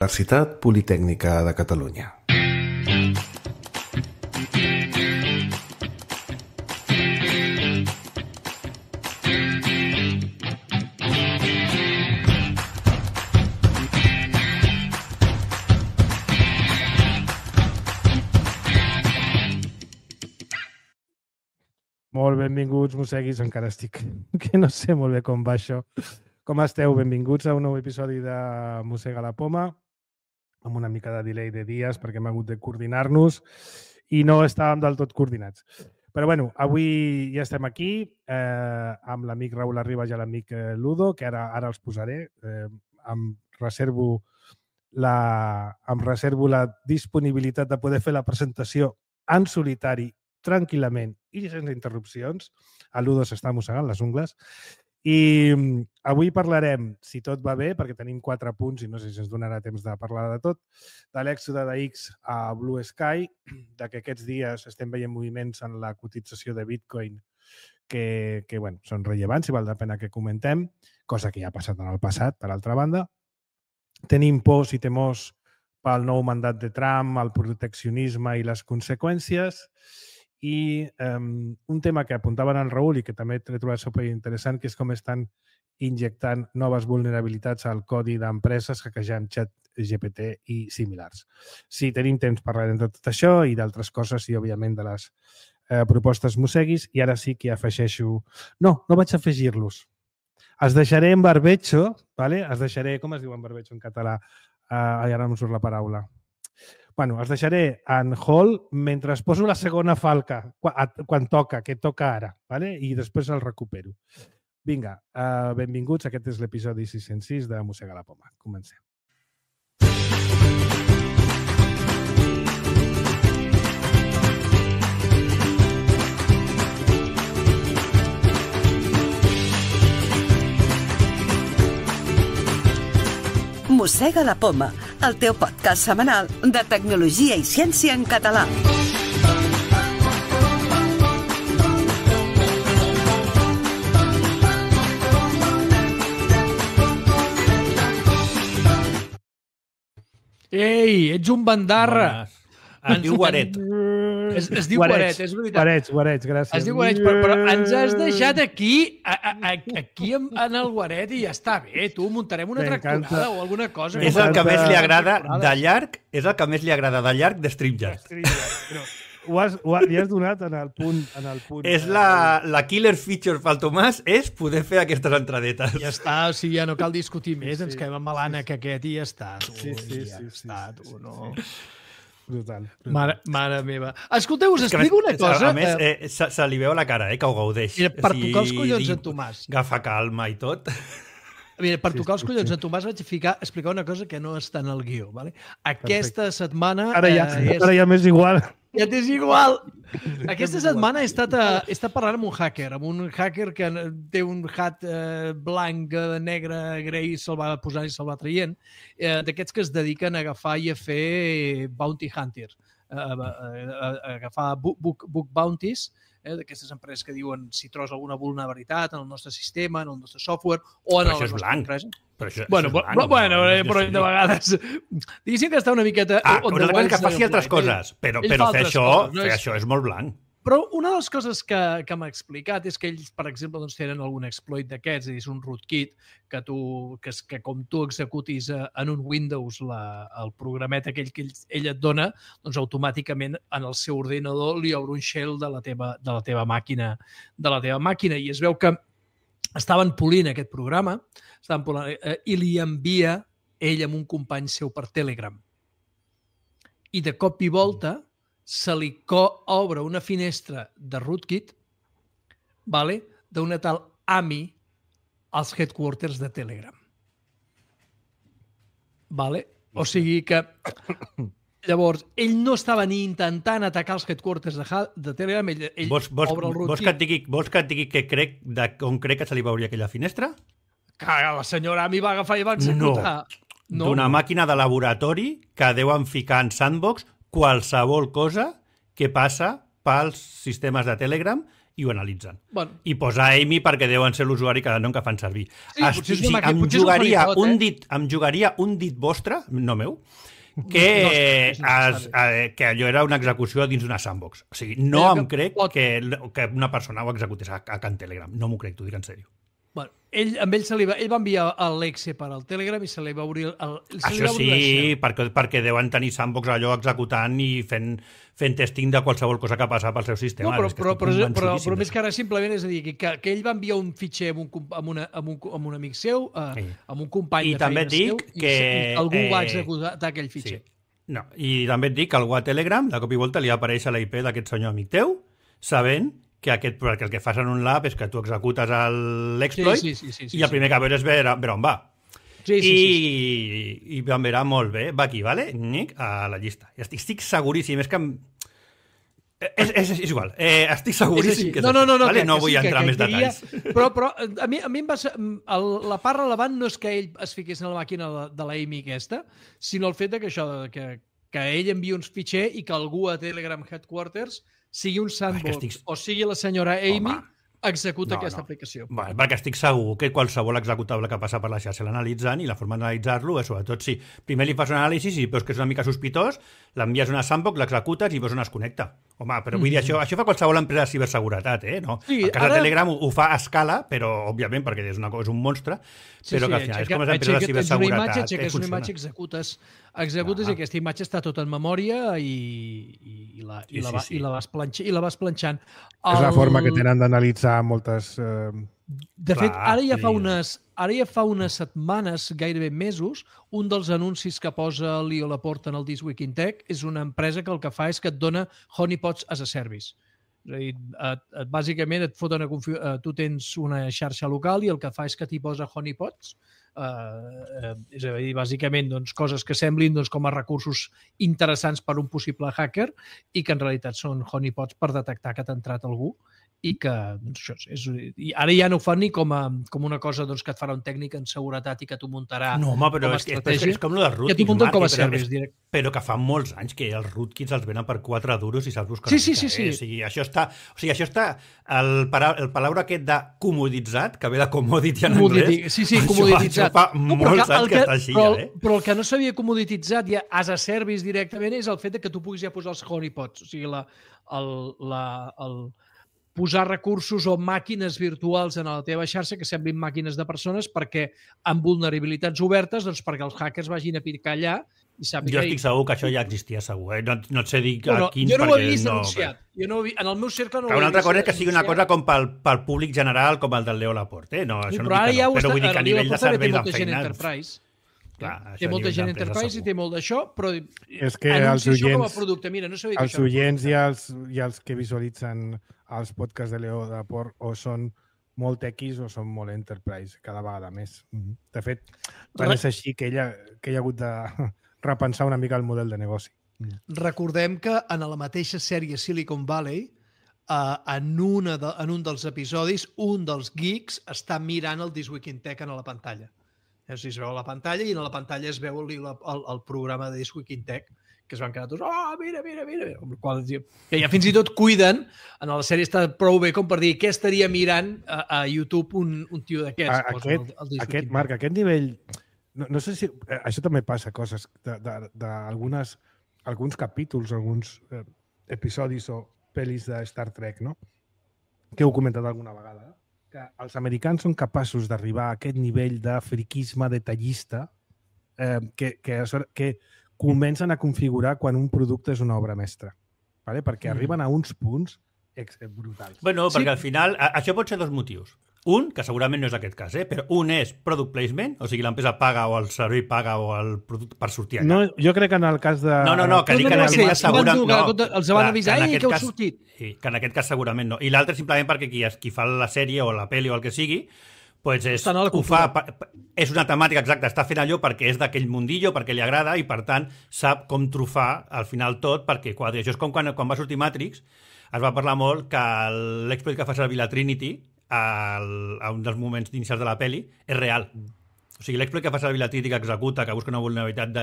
Universitat Politècnica de Catalunya. Molt benvinguts, mosseguis, encara estic, que no sé molt bé com va això. Com esteu? Benvinguts a un nou episodi de Mossega la Poma, amb una mica de delay de dies perquè hem hagut de coordinar-nos i no estàvem del tot coordinats. Però bueno, avui ja estem aquí amb l'amic Raül Arribas i l'amic Ludo, que ara els posaré. Em reservo la disponibilitat de poder fer la presentació en solitari tranquil·lament i sense interrupcions. El Ludo s'està mossegant les ungles. I avui parlarem, si tot va bé, perquè tenim 4 punts i no sé si ens donarà temps de parlar de tot, de l'èxode de X a Blue Sky, de que aquests dies estem veient moviments en la cotització de Bitcoin que bueno, són rellevants i val la pena que comentem, cosa que ja ha passat en el passat, per altra banda. Tenim pors i temors pel nou mandat de Trump, el proteccionisme i les conseqüències. I un tema que apuntaven en Raül i que també he trobat superinteressant, que és com estan injectant noves vulnerabilitats al codi d'empreses hackejant ChatGPT i similars. Si tenim temps parlarem de tot això i d'altres coses i, òbviament, de les propostes mosseguis. I ara sí que afegeixo... No vaig afegir-los. Els deixaré en barbecho, ¿vale? Els deixaré... Com es diu en barbecho en català? Ara no em surt la paraula. Bueno, els deixaré en hold mentre es poso la segona falca, quan toca, que toca ara, ¿vale? I després el recupero. Vinga, benvinguts. Aquest és l'episodi 606 de Mossega la Poma. Comencem. Mossega la Poma, el teu podcast setmanal de tecnologia i ciència en català. Ei, ets un bandarra. Es diu Guaret. Es diu Guaret, és veritat. Guarets, gràcies. Es diu Guaret, però ens has deixat aquí en el Guaret i ja està bé. Tu muntarem una tractorada o alguna cosa. És el que més li agrada de llarg, de StreamYard. Li has donat en el punt. És la killer feature pel Tomàs, és poder fer aquestes entradetes. Ja està, o sigui, ja no cal discutir més, ens quedem amb Malana que aquest i ja està. Brutal. Mare meva. Escolteu, us explico una cosa. A més, se li veu a la cara, que ho gaudeix. Mira, per tocar els collons en Tomàs. Agafa calma i tot. Mira, per tocar els collons en Tomàs vaig explicar una cosa que no està en el guió. Vale? Aquesta setmana... Ara ja m'és igual. Ja t'és igual. Aquesta setmana he estat parlant amb un hacker que té un hat blanc, negre, grei, se'l va posant i se'l va traient, d'aquests que es dediquen a agafar i a fer bounty hunter, a agafar book bounties, d'aquestes empreses que diuen si trobes alguna vulnerabilitat en el nostre sistema, en el nostre software o en la nostra empresa. Bueno, però de vegades... Diguéssim que està una miqueta... Una cosa que faci altres coses, però fer això és molt blanc. Però una de les coses que m'ha explicat és que ells, per exemple, tenen algun exploit d'aquests, és un rootkit que com tu executis en un Windows el programet aquell que ell et dona, doncs automàticament en el seu ordinador li obre un shell de la teva màquina. I es veu que estaven polint aquest programa i li envia ell amb un company seu per Telegram. I de cop i volta se li obre una finestra de rootkit d'una tal AMI als headquarters de Telegram. O sigui que llavors, ell no estava ni intentant atacar els headquarters de Telegram, ell obre el rootkit. Vols que et digui on crec que se li va obrir aquella finestra? Que la senyora AMI va agafar i va executar. No. D'una màquina de laboratori que deuen ficar en sandbox qualsevol cosa que passa pels sistemes de Telegram i ho analitzen. Bueno. I posa Amy perquè deuen ser l'usuari cada nom que fan servir. Sí, potser és una màquina, em potser és un jugaria honeypot, un dit, em jugaria un dit vostre, no meu, que allò era una execució dins d'una sandbox. O sigui, no em crec que una persona ho executés a Can Telegram. No m'ho crec, t'ho dic en sèrio. Bueno, ell va enviar l'exe per al Telegram i se li va obrir Això sí, perquè deuen tenir sandbox allò executant i fent testing de qualsevol cosa que passa pel seu sistema. No, però més que ara simplement és a dir que ell va enviar un fitxer amb un amic seu, amb un company de feina seu, i algú va executar aquell fitxer. No, i també et dic que algú a Telegram, de cop i volta, li apareix a l'IP d'aquest senyor amic teu, sabent que el que fas en un lab és que tu executes l'exploit i el primer que veure és veure on va. I em verà molt bé. Va aquí, vale? Nick, a la llista. I estic seguríssim. És que... És igual. Estic seguríssim que és no, vale? No vull entrar més detalls. Però a mi em va ser... La part relevant no és que ell es fiqués en la màquina de la Amy aquesta, sinó el fet que això, que ell envia uns fitxer i que algú a Telegram Headquarters sigui un sandbox o sigui la senyora Amy, executa aquesta aplicació. Bueno, perquè estic segur que qualsevol executable que passa per la xarxa l'analitzen i la forma d'analitzar-lo és, sobretot, si primer li fas un anàlisi i veus que és una mica sospitós, l'envies a una sandbox, l'executes i veus on es connecta. Home, però vull dir, això fa qualsevol empresa de ciberseguretat, no? El cas de Telegram ho fa a escala, però, òbviament, perquè és un monstre, però que al final és com les empreses de ciberseguretat. Aixeques una imatge, executes i aquesta imatge està tota en memòria i la vas planxant. És la forma que tenen d'analitzar moltes... De fet, ara ja fa unes setmanes, gairebé mesos, un dels anuncis que posa Leo Laporte en el This Week in Tech és una empresa que el que fa és que et dona honeypots as a service. És a dir, bàsicament et foten tu tens una xarxa local i el que fa és que t'hi posa honeypots. És a dir, bàsicament coses que semblin com a recursos interessants per un possible hacker i que en realitat són honeypots per detectar que t'ha entrat algú i que i ara ja no ho fan ni com una cosa que et farà un tècnic en seguretat i que t'ho muntarà però és com el dels rootkits, que t'ho munten com a service directe. Però que fa molts anys que els rootkits els venen per 4 duros i saps buscar. Sí. O sigui, això està el paraula aquest de comoditzat, que ve de commodity en anglès. Sí, comodititzat. Això fa molts anys que està així, Però el que no s'havia comodititzat ja as a service directament és el fet que tu puguis ja posar els honeypots. O sigui, posar recursos o màquines virtuals en la teva xarxa que semblin màquines de persones perquè amb vulnerabilitats obertes perquè els hackers vagin a picar allà i sàpiguen... Jo estic segur que això ja existia segur. No et sé dir a quins... Jo no ho he vist denunciat. En el meu cercle no ho he vist. Una altra cosa és que sigui una cosa com pel públic general com el del Leo Laporte. No, això no dic que no. Però vull dir que a nivell de serveis d'enfeinats... Té molta gent Enterprise i té molt d'això, però és que els oients i els que visualitzen els podcasts de Leo Laporte o són molt tequis o són molt Enterprise, cada vegada més. De fet, és així que ella ha hagut de repensar una mica el model de negoci. Recordem que en la mateixa sèrie Silicon Valley, en un dels episodis, un dels geeks està mirant el This Week in Tech a la pantalla. Es veu a la pantalla i en la pantalla es veu el programa de This Week in Tech, que es van quedar tots, mira. Que ja fins i tot cuiden, en la sèrie està prou bé com per dir què estaria mirant a YouTube un tio d'aquests. Marc, aquest nivell... No sé si... Això també passa, coses d'alguns capítols, alguns episodis o pel·lis de Star Trek, no? Que heu comentat alguna vegada, que els americans són capaços d'arribar a aquest nivell de friquisme detallista que comencen a configurar quan un producte és una obra mestra. Perquè arriben a uns punts brutals. Bueno, perquè al final... Això pot ser dos motius. Un, que segurament no és aquest cas, però un és product placement, o sigui, l'empresa paga o el servei paga o el producte per sortir allà. No, jo crec que en el cas de... No, que dic que en aquest cas segurament... Els van avisar i que heu sortit. Sí, que en aquest cas segurament no. I l'altre simplement perquè qui fa la sèrie o la pel·li o el que sigui, pues és una temàtica exacta, està fent allò perquè és d'aquell mundillo, perquè li agrada i, per tant, sap com trufar al final tot perquè quadri. Això és com quan va sortir Matrix, es va parlar molt que l'exploit que fa servir la Trinity a un dels moments inicials de la pel·li és real. O sigui, l'exploit que fa servir la Trinity que executa, que busca una vulnerabilitat de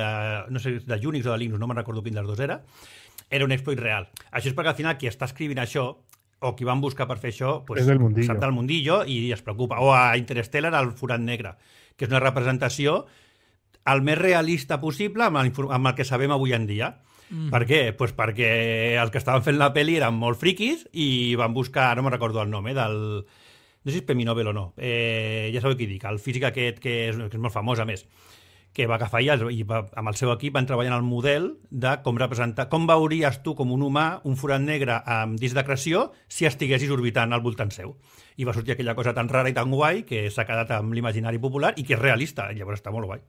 Unix o de Linux, no me'n recordo quin dels dos era un exploit real. Això és perquè al final qui està escrivint això o qui van buscar per fer això, pues, és del mundillo. sap del mundillo i es preocupa. O a Interstellar, el forat negre, que és una representació el més realista possible amb el que sabem avui en dia. Per què? Pues perquè els que estaven fent la pel·li eren molt friquis i van buscar, no me'n recordo el nom, del... No sé si és Premi Nobel o no. Ja sabeu qui dic, el físic aquest que és molt famós, a més, que va agafar i amb el seu equip van treballar en el model de com representar, com veuries tu com un humà un forat negre amb disc d'acreció si estiguessis orbitant al voltant seu. I va sortir aquella cosa tan rara i tan guai que s'ha quedat amb l'imaginari popular i que és realista. Llavors està molt guai.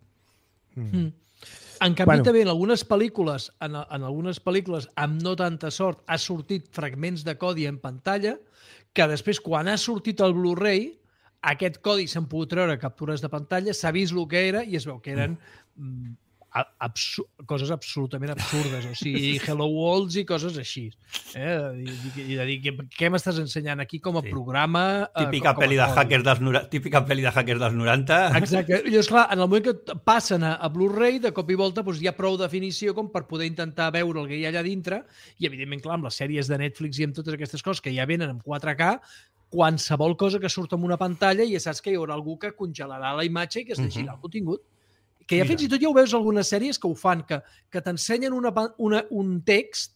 En canvi, també en algunes pel·lícules, amb no tanta sort, ha sortit fragments de codi en pantalla que després, quan ha sortit el Blu-ray, aquest codi s'han pogut treure captures de pantalla, s'ha vist el que era i es veu que eren coses absolutament absurdes, o sigui, Hello Worlds i coses així. I de dir, què m'estàs ensenyant aquí com a programa? Típica pel·li de hackers dels 90. Exacte. I esclar, en el moment que passen a Blu-ray, de cop i volta doncs, hi ha prou definició com per poder intentar veure el que hi ha allà dintre i, evidentment, clar, amb les sèries de Netflix i amb totes aquestes coses que ja venen en 4K, qualsevol cosa que surt en una pantalla ja saps que hi haurà algú que congelarà la imatge i que es llegirà el contingut. Que ja fins i tot ja ho veus algunes sèries que ho fan, que t'ensenyen un text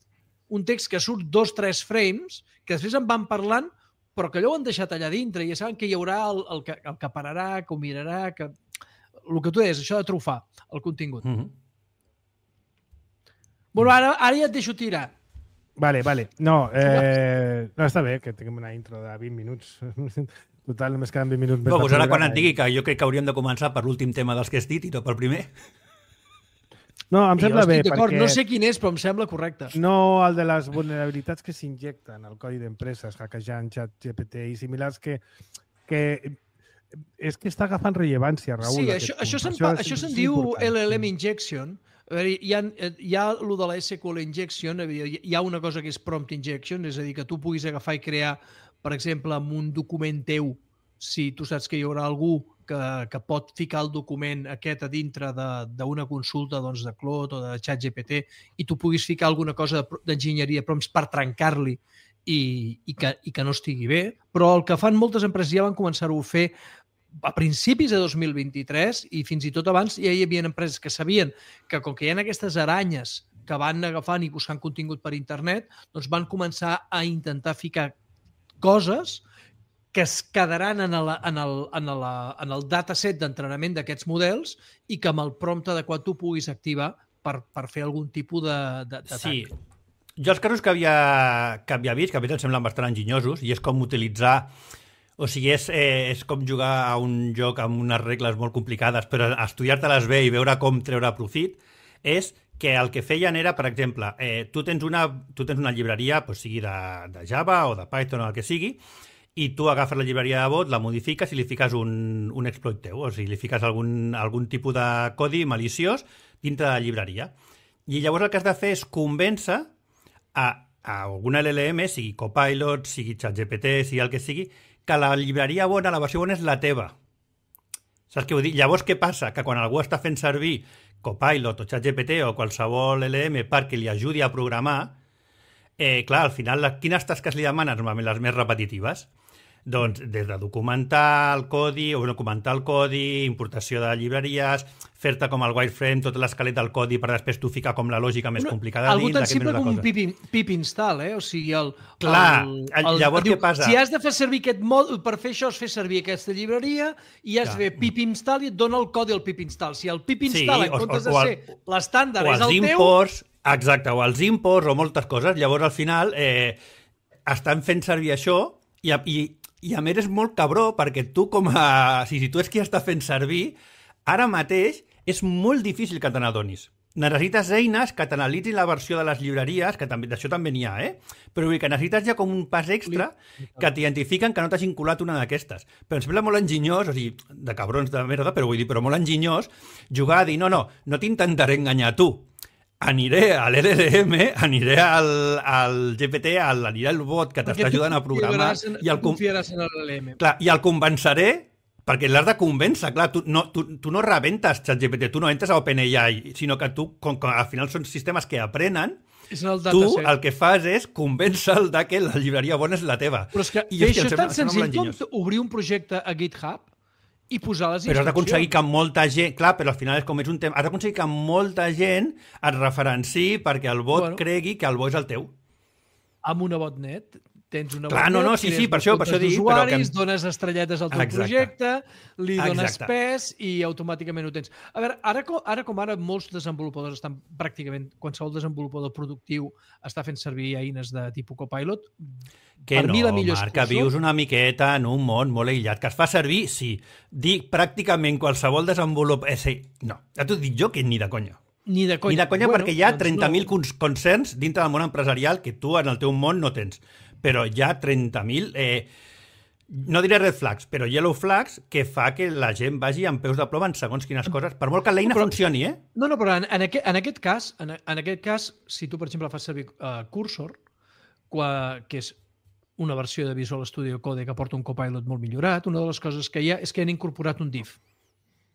que surt 2-3 frames, que després en van parlant, però que allò ho han deixat allà dintre, i ja saben que hi haurà el que pararà, que ho mirarà, que... El que tu deies, això de trufar el contingut. Bueno, ara ja et deixo tirar. Vale. No, està bé que tinguem una intro de 20 minuts. Total, només queden 20 minuts més. Pues ara quan et digui que jo crec que hauríem de començar per l'últim tema dels que has dit i no pel primer. No, em sembla bé, perquè... No sé quin és, però em sembla correcte. No el de les vulnerabilitats que s'injecten al codi d'empreses, hackejant, ChatGPT i similars, que és que està agafant rellevància, Raül. Sí, això se'n diu LLM injection. Hi ha el de la SQL injection, hi ha una cosa que és prompt injection, és a dir, que tu puguis agafar i crear, per exemple, amb un document teu, si tu saps que hi haurà algú que pot ficar el document aquest a dintre d'una consulta de Claude o de ChatGPT i tu puguis ficar alguna cosa d'enginyeria prompts per trencar-li i que no estigui bé. Però el que fan moltes empreses ja van començar-ho a fer a principis de 2023 i fins i tot abans ja hi havia empreses que sabien que com que hi ha aquestes aranyes que van agafant i buscant contingut per internet, doncs van començar a intentar ficar coses que es quedaran en el dataset d'entrenament d'aquests models i que amb el prompt adequat tu puguis activar per fer algun tipus d'atac. Sí. Jo els casos que havia vist, que a mi em semblen bastant enginyosos, i és com utilitzar... O sigui, és com jugar a un joc amb unes regles molt complicades, però estudiar-te-les bé i veure com treure profit, és que el que feien era, per exemple, tu tens una llibreria, sigui de Java o de Python o el que sigui, i tu agafes la llibreria de bot, la modifiques i li fiques un exploit teu, o sigui, li fiques algun tipus de codi maliciós dintre de la llibreria. I llavors el que has de fer és convèncer a alguna LLM, sigui Copilot, sigui ChatGPT, sigui el que sigui, que la llibreria bona, la versió bona és la teva. Saps què vull dir? Llavors, què passa? Que quan algú està fent servir Copilot o ChatGPT o qualsevol LLM perquè li ajudi a programar, clar, al final, quines tasques li demanes? Normalment les més repetitives. Doncs des de documentar el codi, importació de llibreries, fer-te com el wireframe, tota l'esquelet del codi per després tu ficar com la lògica més complicada dins. Algú tan simple com un pip install, O sigui, llavors què passa? Si has de fer servir aquest mòdul, per fer això has fer servir aquesta llibreria i has de fer pip install i et dona el codi al pip install. Si el pip install, en comptes de ser l'estàndard, és el teu... Exacte, o els imports o moltes coses. Llavors, al final, estan fent servir això i a més és molt cabró perquè tu si tu és qui està fent servir, ara mateix és molt difícil que te n'adonis. Necessites eines que t'analitzin la versió de les llibreries, que també d'això també n'hi ha, però vull dir que necessites ja com un pas extra que t'identifiquen que no t'hagin colat una d'aquestes. Però em sembla molt enginyós, o sigui, de cabrons de merda, però vull dir, però molt enginyós, jugar a dir, no t'intentaré enganyar tu. Aniré a l'LLM, aniré al GPT, aniré al bot que t'està ajudant a programar i el convenceré, perquè l'has de convèncer, clar, tu no rebentes ChatGPT, tu no entres a OpenAI, sinó que tu, com que al final són sistemes que aprenen, Tu el que fas és convèncer-el de que la llibreria bona és la teva. Però és que això és tan senzill com obrir un projecte a GitHub i posar les instruccions. Però has d'aconseguir que molta gent... Clar, però al final és com és un tema... Has d'aconseguir que molta gent et referenciï perquè el bot cregui que el bo és el teu. Amb una botnet. Tens una Clar, botnet, sí, per això dic... Usuaris, dones estrelletes al teu projecte, li dones pes i automàticament ho tens. A veure, ara com ara molts desenvolupadors estan pràcticament, qualsevol desenvolupador productiu està fent servir eines de tipus Copilot. Que no, Marc, que vius una miqueta en un món molt aïllat, que es fa servir, sí. Dic pràcticament qualsevol desenvolupador... No, ja t'ho dic jo que ni de conya. Ni de conya, perquè hi ha 30.000 concerns dintre del món empresarial que tu en el teu món no tens. Però hi ha 30.000, no diré red flags, però yellow flags que fa que la gent vagi amb peus de ploma en segons quines coses, per molt que l'eina funcioni, eh? No, però en aquest cas, si tu, per exemple, fas servir Cursor, que és una versió de Visual Studio Code que porta un Copilot molt millorat, una de les coses que hi ha és que han incorporat un div.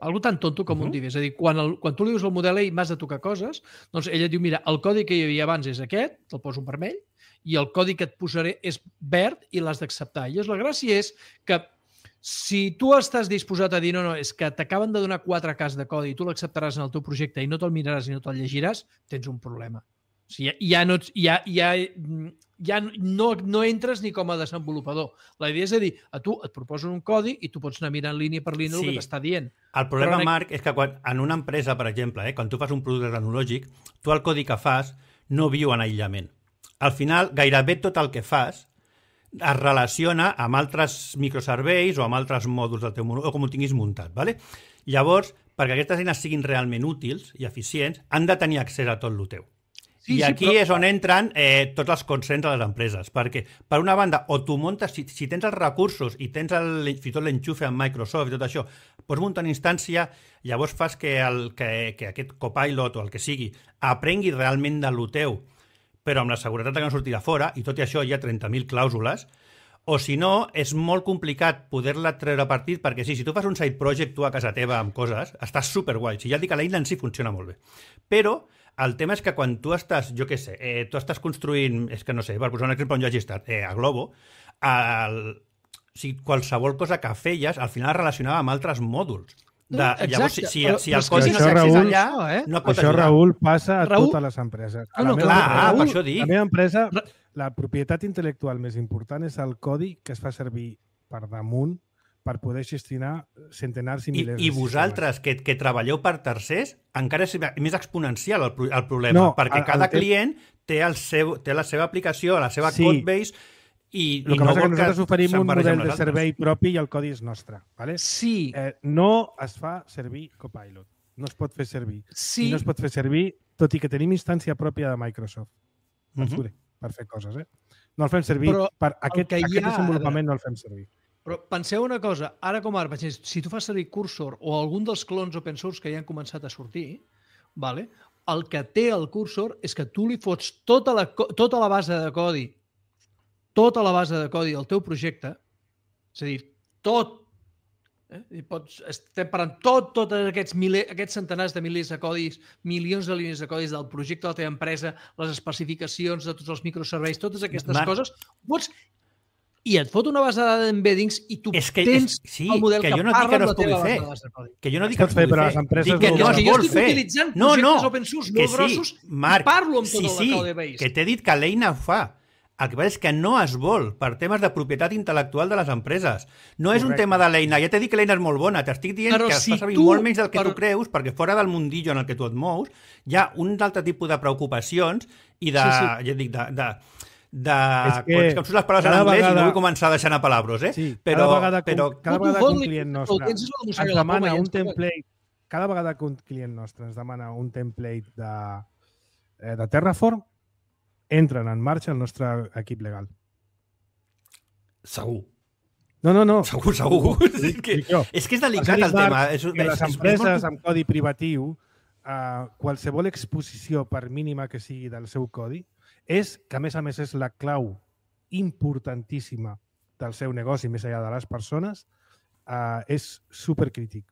Algo tan tonto com un div. És a dir, quan tu li dius al model i m'has de tocar coses, doncs ella et diu, mira, el codi que hi havia abans és aquest, te'l poso en vermell, i el codi que et posaré és verd i l'has d'acceptar. I la gràcia és que si tu estàs disposat a dir no, és que t'acaben de donar 4 cas de codi i tu l'acceptaràs en el teu projecte i no te'l miraràs i no te'l llegiràs, tens un problema. O sigui, ja no entres ni com a desenvolupador. La idea és a dir, a tu et proposen un codi i tu pots anar mirant línia per línia el que t'està dient. El problema, Marc, és que en una empresa, per exemple, quan tu fas un producte tecnològic, tu el codi que fas no viu en aïllament. Al final, gairebé tot el que fas es relaciona amb altres microserveis o amb altres mòduls del teu món, o com ho tinguis muntat. ¿Vale? Llavors, perquè aquestes eines siguin realment útils i eficients, han de tenir accés a tot el teu. I aquí és on entren tots els consens de les empreses, perquè, per una banda, o tu muntes, si tens els recursos i tens fins i tot l'enxufe amb Microsoft i tot això, pots muntar una instància, llavors fas que aquest Copilot o el que sigui aprengui realment de lo teu, però amb la seguretat que no sortirà fora, i tot i això hi ha 30.000 clàusules, o si no, és molt complicat poder-la treure partit, perquè si tu fas un side project tu a casa teva amb coses, estàs superguai. Si ja et dic que l'eina en si funciona molt bé. Però el tema és que quan tu estàs, jo què sé, tu estàs construint, és que no sé, per posar un exemple on jo hagi estat, a Globo, qualsevol cosa que feies, al final es relacionava amb altres mòduls. Llavors, si el codi no s'accés allà, no pot ajudar. Això, Raül, passa a totes les empreses. Clar, per això dic. La meva empresa, la propietat intel·lectual més important és el codi que es fa servir per damunt per poder gestionar centenars i milers de sistemes. I vosaltres, que treballeu per tercers, encara és més exponencial el problema, perquè cada client té la seva aplicació, la seva codebase, i el que passa és que nosaltres oferim un model de servei propi i el codi és nostre. ¿vale? Sí. No es fa servir Copilot. No es pot fer servir. Sí. I no es pot fer servir, tot i que tenim instància pròpia de Microsoft. Per fer coses, No el fem servir. Per aquest desenvolupament no el fem servir. Però penseu una cosa, ara com ara, si tu fas servir Cursor o algun dels clons open source que ja han començat a sortir, vale? El que té el Cursor és que tu li fots tota la base de codi del teu projecte, és a dir, tot, estem parlant tots aquests centenars de milers de codis, milions de línies de codis del projecte de la teva empresa, les especificacions de tots els microserveis, totes aquestes coses, i et fot una base de dades d'embeddings i tu tens el model que parla amb la teva base de codi. Que jo no dic que es pugui fer, dic que no es vol fer. Jo estic utilitzant projectes open source molt grossos i parlo amb tota la code base. Que t'he dit que l'eina ho fa. El que passa és que no es vol per temes de propietat intel·lectual de les empreses. No és un tema de l'eina. Ja t'he dit que l'eina és molt bona. T'estic dient que es fa servir molt menys del que tu creus, perquè fora del mundillo en el que tu et mous hi ha un altre tipus de preocupacions i de... Ja et dic, que em surten les paraules en anglès i no vull començar a deixar anar palabres, Cada vegada que un client nostre ens demana un template, cada vegada que un client nostre ens demana un template de Terraform, entren en marxa el nostre equip legal. Segur. No. Segur. És que és delicat el tema. Les empreses amb codi privatiu, qualsevol exposició, per mínima que sigui del seu codi, és que, a més, és la clau importantíssima del seu negoci, més enllà de les persones, és supercrític.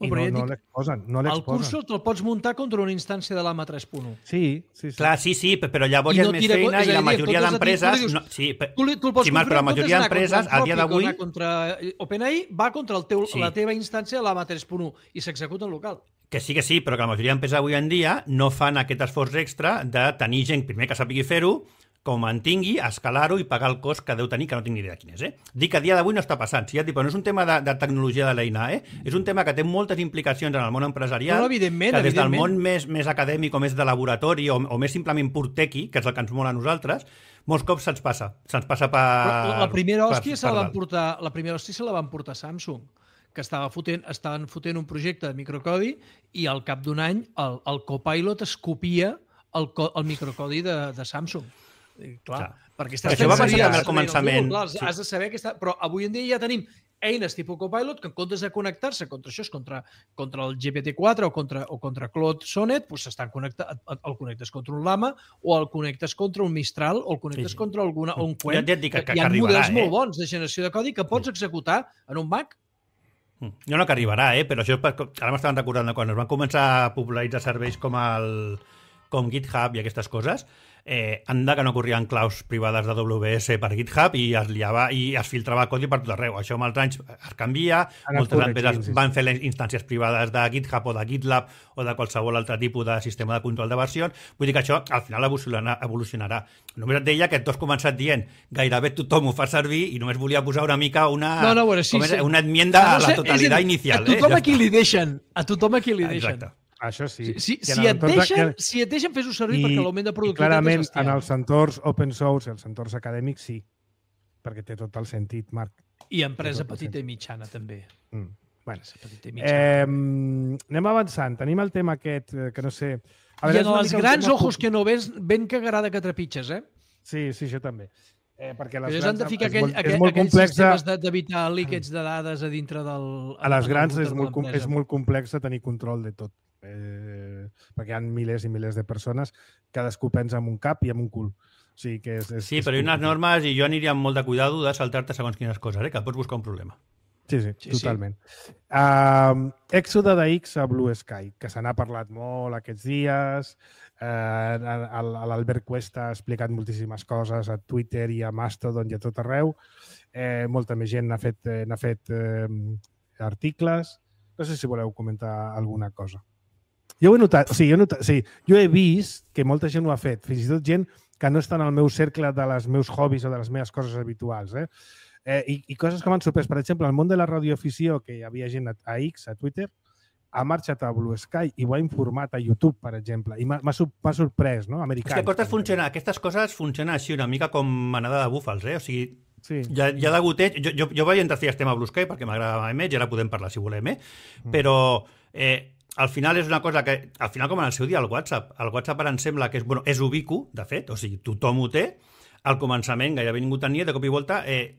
I no l'exposen. El cursor te'l pots muntar contra una instància de l'AMA 3.1. Sí. Clar, sí, però llavors hi ha més feina i la majoria d'empreses... Però la majoria d'empreses, a dia d'avui... OpenAI va contra la teva instància de l'AMA 3.1 i s'executa en local. Que sí, però que la majoria d'empreses avui en dia no fan aquest esforç extra de tenir gent, primer que sàpigui fer-ho, que ho mantingui, escalar-ho i pagar el cost que deu tenir, que no tinc ni idea quin és. Dic que a dia d'avui no està passant. Sí, però no és un tema de tecnologia de l'eina, és un tema que té moltes implicacions en el món empresarial, que des del món més acadèmic o més de laboratori o més simplement pur tequi, que és el que ens mola a nosaltres, molts cops se'ns passa per... La primera hòstia se la van portar Samsung, que estaven fotent un projecte de microcodi i al cap d'un any el Copilot es copia el microcodi de Samsung. Clar, perquè això va passar també al començament. Has de saber que està... Però avui en dia ja tenim eines tipus Copilot que en comptes de connectar-se contra això, contra el GPT-4 o contra Claude Sonnet, el connectes contra un Llama o el connectes contra un Mistral o el connectes contra un Qwen. Hi ha models molt bons de generació de codi que pots executar en un Mac. Jo no que arribarà, però això ara m'estaven recordant quan es van començar a popularitzar serveis com GitHub i aquestes coses, anda que no corrien claus privades de AWS per GitHub i es liava i es filtrava codi per tot arreu. Això amb els anys es canvia, moltes empreses van fer les instàncies privades de GitHub o de GitLab o de qualsevol altre tipus de sistema de control de versions. Vull dir que això al final evolucionarà. Només et deia que tu has començat dient gairebé tothom ho fa servir i només volia posar una mica una enmienda a la totalitat inicial. A tothom a qui li deixen. Exacte. Això sí. Si et deixen fes-ho servir perquè l'augment de productivitat clarament, és bestial. En els entorns open source i els entorns acadèmics sí, perquè té tot el sentit, Marc. I empresa petita i mitjana també. Anem avançant. Tenim el tema aquest, que no sé... I en els grans ojos que no ves, ben que agrada que trepitges, eh? Sí, això també. Perquè les grans han de ficar aquells sistemes d'evitar líquets de dades a dintre del... A les grans és molt complex tenir control de tot. Perquè hi ha milers i milers de persones, cadascú pensa en un cap i en un cul. O sigui que sí, però hi ha unes normes i jo aniria amb molt de cuidado de saltar-te segons quines coses, que pots buscar un problema. Sí, totalment. Èxode de X a Blue Sky, que se n'ha parlat molt aquests dies. L'Albert Cuesta ha explicat moltíssimes coses a Twitter i a Mastodon i a tot arreu. Molta més gent n'ha fet articles. No sé si voleu comentar alguna cosa. Jo ho he notat, jo he vist que molta gent ho ha fet, fins i tot gent que no està en el meu cercle dels meus hobbies o de les meves coses habituals. I coses que m'han sorprès. Per exemple, el món de la radioafició, que hi havia gent a X, a Twitter, ha marxat a Blue Sky i ho ha informat a YouTube, per exemple. I m'ha sorprès, no? Americans. És que aquestes coses funcionen així una mica com manada de búfals, O sigui, hi ha de goteig. Jo vaig entrar a fer tema a Blue Sky perquè m'agradava més i ara podem parlar si volem, però al final és una cosa que, al final com en el seu dia, el WhatsApp ara em sembla que és ubicu, de fet, o sigui, tothom ho té. Al començament gairebé ningú tenia, de cop i volta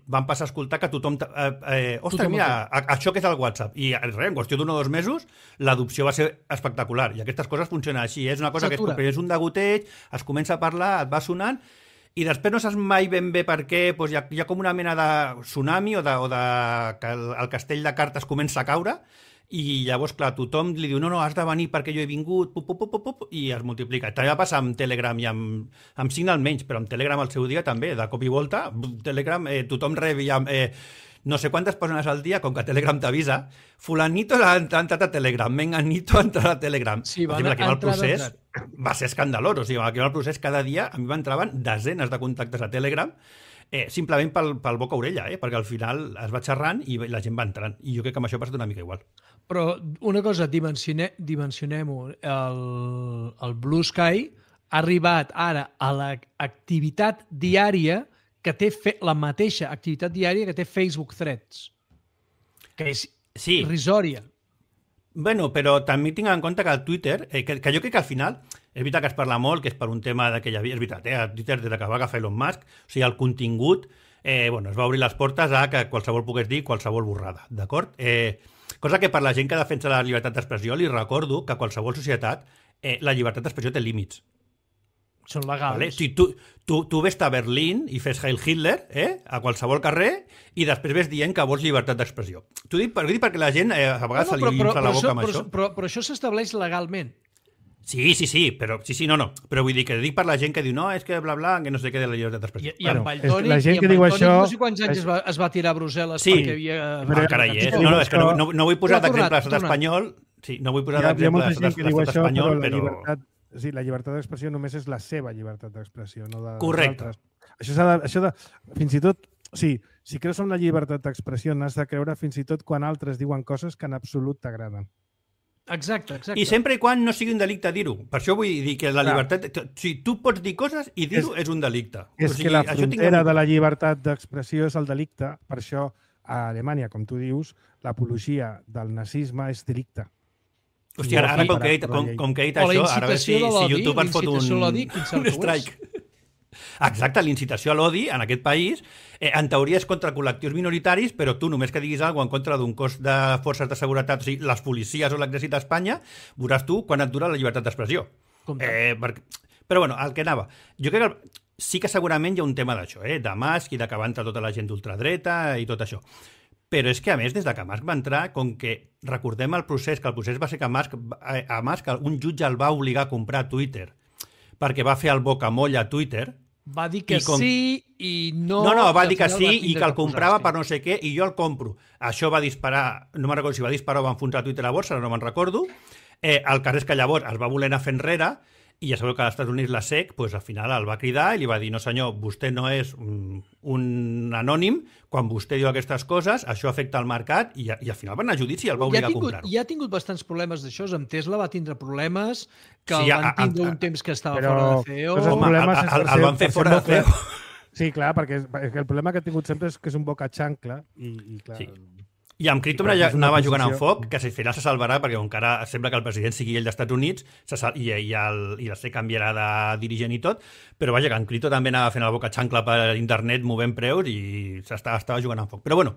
van passar a escoltar que tothom... Ostres, mira, això que és el WhatsApp. I en qüestió d'un o 2 mesos l'adopció va ser espectacular. I aquestes coses funcionen així. És una cosa que és un degoteig, es comença a parlar, et va sonant, i després no saps mai ben bé per què, doncs hi ha com una mena de tsunami o de que el castell de cartes comença a caure, i llavors, clar, tothom li diu no, has de venir perquè jo he vingut, i es multiplica. També va passar amb Telegram i amb Signal menys, però amb Telegram al seu dia també, de cop i volta, Telegram, tothom rebia no sé quantes persones al dia, com que Telegram t'avisa, fulanito ha entrat a Telegram, menganito ha entrat a Telegram. Sí, el procés va ser escandalós, o sigui, el procés cada dia a mi m'entraven desenes de contactes a Telegram, simplement pel boca-orella, perquè al final es va xerrant i la gent va entrant. I jo crec que amb això ha passat una mica igual. Però una cosa, dimensionem-ho. El Blue Sky ha arribat ara a l'activitat diària que té la mateixa activitat diària que té Facebook Threads, que és irrisòria. Bueno, però també tinc en compte que el Twitter, que jo crec que al final, és veritat que es parla molt, que és per un tema que hi havia, és veritat, a Twitter des que va agafar Elon Musk, o sigui, el contingut, es va obrir les portes a que qualsevol pogués dir qualsevol borrada, d'acord? Cosa que per la gent que defensa la llibertat d'expressió li recordo que a qualsevol societat la llibertat d'expressió té límits. Són legals. Vale? Si tu ves a Berlín i fes Heil Hitler a qualsevol carrer i després ves dient que vols llibertat d'expressió. T'ho dic perquè la gent a vegades se li infla la boca amb això. Però això s'estableix legalment. Sí, però vull dir que dic per la gent que diu no, és que bla, bla, que no sé què de la llibertat d'expressió. I en Valtònic, la gent que diu això... no sé quants anys es va tirar a Brussel·les perquè havia... Carai, és que no vull posar d'exemple l'estat espanyol. Sí, no vull posar d'exemple l'estat espanyol, però... La llibertat d'expressió només és la seva llibertat d'expressió, no de correcte. Això de... Fins i tot... Sí, si creus en la llibertat d'expressió n'has de creure fins i tot quan altres diuen coses que en absolut t'agraden. Exacte. I sempre i quan no sigui un delicte dir-ho. Per això vull dir que la llibertat... Si tu pots dir coses i dir-ho és un delicte. És que la frontera de la llibertat d'expressió és el delicte. Per això a Alemanya, com tu dius, l'apologia del nazisme és delicte. Hòstia, ara com que he dit això, ara a veure si YouTube ens fot un strike. Exacte, l'incitació a l'odi en aquest país, en teoria és contra col·lectius minoritaris, però tu només que diguis alguna cosa en contra d'un cos de forces de seguretat, o sigui, les policies o l'exèrcit d'Espanya, veuràs tu quan et dura la llibertat d'expressió. Però bueno, el que anava. Jo crec que sí que segurament hi ha un tema d'això, de Musk i de que va entrar tota la gent d'ultradreta i tot això. Però és que, a més, des de que Musk va entrar, com que recordem el procés, que el procés va ser que Musk un jutge el va obligar a comprar Twitter perquè va fer el bocamoll a Twitter. Va dir que sí i no... No, va dir que sí i que el comprava per no sé què i jo el compro. Això va disparar, no me'n recordo si va disparar o va enfonsar Twitter a borsa, no me'n recordo. El cas és que llavors es va voler anar fent enrere i ja sabeu que als Estats Units la SEC al final el va cridar i li va dir no senyor, vostè no és un anònim, quan vostè diu aquestes coses, això afecta el mercat i al final va anar a judici i el va obligar a comprar-ho. Ja ha tingut bastants problemes d'això, amb Tesla va tindre problemes que el van tindre un temps que estava fora de CEO. El van fer fora de CEO. Sí, clar, perquè el problema que ha tingut sempre és que és un boca xancla i clar... I amb Crypto anava jugant amb foc, que al final se salvarà, perquè encara sembla que el president sigui ell dels Estats Units i la SEC canviarà de dirigent i tot, però vaja, que en Crypto també anava fent la boca xancla per internet movent preus i estava jugant amb foc. Però bueno,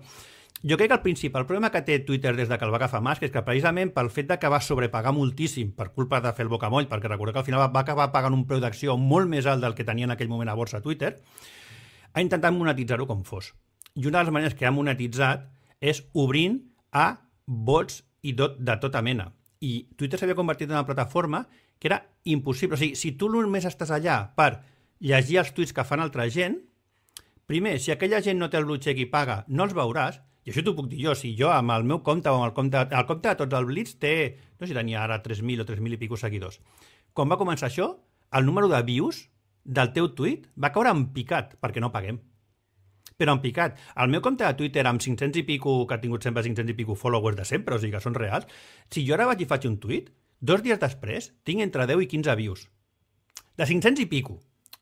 jo crec que el principal problema que té Twitter des que el va agafar Musk és que precisament pel fet que va sobrepagar moltíssim per culpa de fer el bocamoll, perquè recordeu que al final va acabar pagant un preu d'acció molt més alt del que tenia en aquell moment a borsa Twitter, ha intentat monetitzar-ho com fos. I una de les maneres que ha monetitzat és obrint a bots i de tota mena. I Twitter s'havia convertit en una plataforma que era impossible. O sigui, si tu només estàs allà per llegir els tuits que fan altra gent, primer, si aquella gent no té el blue check i paga, no els veuràs, i això t'ho puc dir jo, si jo amb el meu compte o amb el compte de tots el Blitz té, no sé si tenia ara 3.000 o 3.000 i pico seguidors. Quan va començar això, el número de views del teu tuit va caure en picat, perquè no paguem. Però en picat. El meu compte de Twitter amb 500 i pico, que ha tingut sempre 500 i pico followers de sempre, o sigui que són reals, si jo ara vaig i faig un tuit, 2 dies després tinc entre 10 i 15 views. De 500 i pico.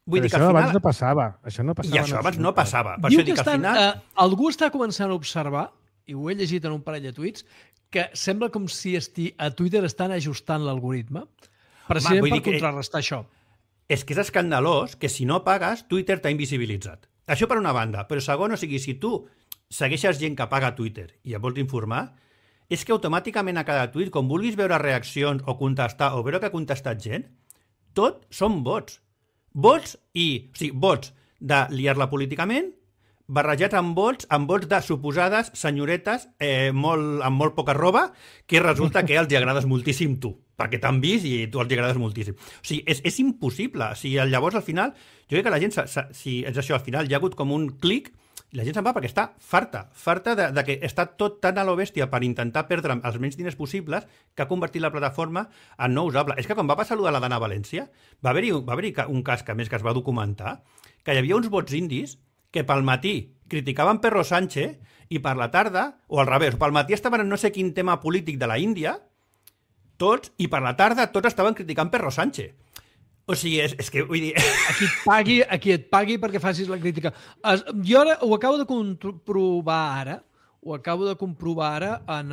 Vull dir que al final... abans no passava. I això abans no passava. Per diu això dic que al final... Algú està començant a observar, i ho he llegit en un parell de tuits, que sembla com si a Twitter estan ajustant l'algoritme precisament per contrarrestar això. És que és escandalós que si no pagues, Twitter t'ha invisibilitzat. Això per una banda, però segon, o sigui, si tu segueixes gent que paga Twitter i et vols informar, és que automàticament a cada tuit, com vulguis veure reaccions o contestar o veure que ha contestat gent, tot són bots. Bots de liar-la políticament, barrejats amb bots de suposades senyoretes amb molt poca roba, que resulta que els agrades moltíssim tu, perquè t'han vist i tu els agrades moltíssim. O sigui, és impossible. O sigui, llavors, al final, jo crec que la gent, si és això, al final hi ha hagut com un clic i la gent se'n va perquè està farta de que està tot tan a lo bèstia per intentar perdre els menys diners possibles que ha convertit la plataforma en no usable. És que quan va passar allò de la Dana València, va haver-hi un cas que, a més, que es va documentar, que hi havia uns bots indis que pel matí criticaven Pedro Sánchez i per la tarda, o al revés, pel matí estaven en no sé quin tema polític de la Índia, tots, i per la tarda tots estaven criticant Pedro Sánchez. O sigui, és que vull dir... A qui et pagui perquè facis la crítica. Jo ara ho acabo de comprovar ara, en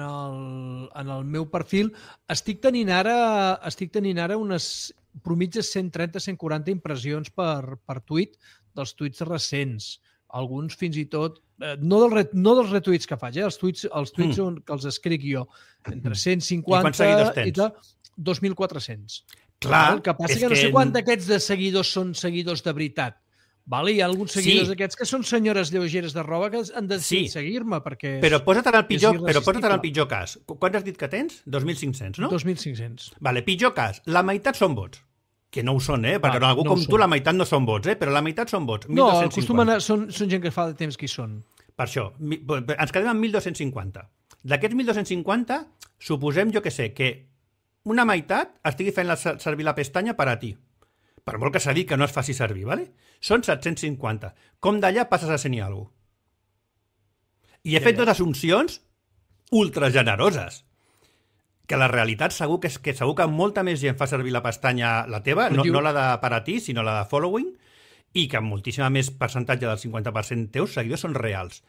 el meu perfil. Estic tenint ara unes mitges 130-140 impressions per tuit dels tuits recents. Alguns fins i tot, no dels retuits que faig, els tuits que els escric jo, entre 150 i tal, 2.400. Clar, el que passa que no sé quant d'aquests de seguidors són seguidors de veritat. Vale? Hi ha alguns seguidors d'aquests que són senyores lleugeres de roba que han decidit seguir-me perquè... Però posa't en el pitjor cas. Quants has dit que tens? 2.500, no? 2.500. Vale, pitjor cas. La meitat són bots. Que no ho són, perquè algú com tu la meitat no són bots, però la meitat són bots. No, acostumen són gent que fa de temps que hi són. Per això, ens quedem amb 1.250. D'aquests 1.250, suposem, jo que sé, que una meitat estigui fent servir la pestanya per a ti. Per molt que s'ha dit que no es faci servir, ¿vale? Són 750. Com d'allà passes a ser ni alguna cosa. I he fet dues assumpcions ultra generoses. Que la realitat segur que molta més gent fa servir la pestanya, la teva, no la de per a ti, sinó la de following, i que moltíssima més percentatge del 50% teus seguidors són reals.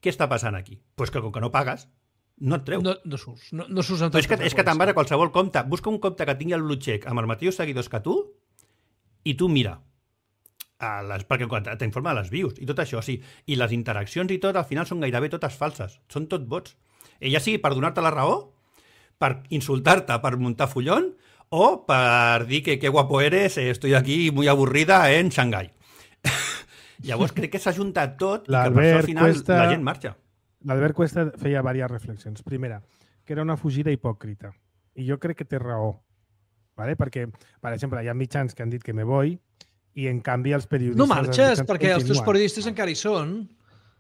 Què està passant aquí? Pues que com que no pagues, no et treu. No surts en tot. És que te'n vas a qualsevol compte. Busca un compte que tingui el blue check amb els mateixos seguidors que tu i tu mira. Perquè t'informa de les views i tot això, sí. I les interaccions i tot, al final són gairebé totes falses. Són tot bots. Ja sigui per donar-te la raó, per insultar-te, per muntar follón, o per dir que qué guapo eres, estoy aquí muy aburrida en Shanghai. Llavors crec que s'ha juntat tot i que per això al final la gent marxa. L'Albert Cuesta feia diverses reflexions. Primera, que era una fugida hipòcrita. I jo crec que té raó. ¿Vale? Perquè, per exemple, hi ha mitjans que han dit que me voy i, en canvi, els periodistes... No marxes, perquè els teus periodistes encara hi són.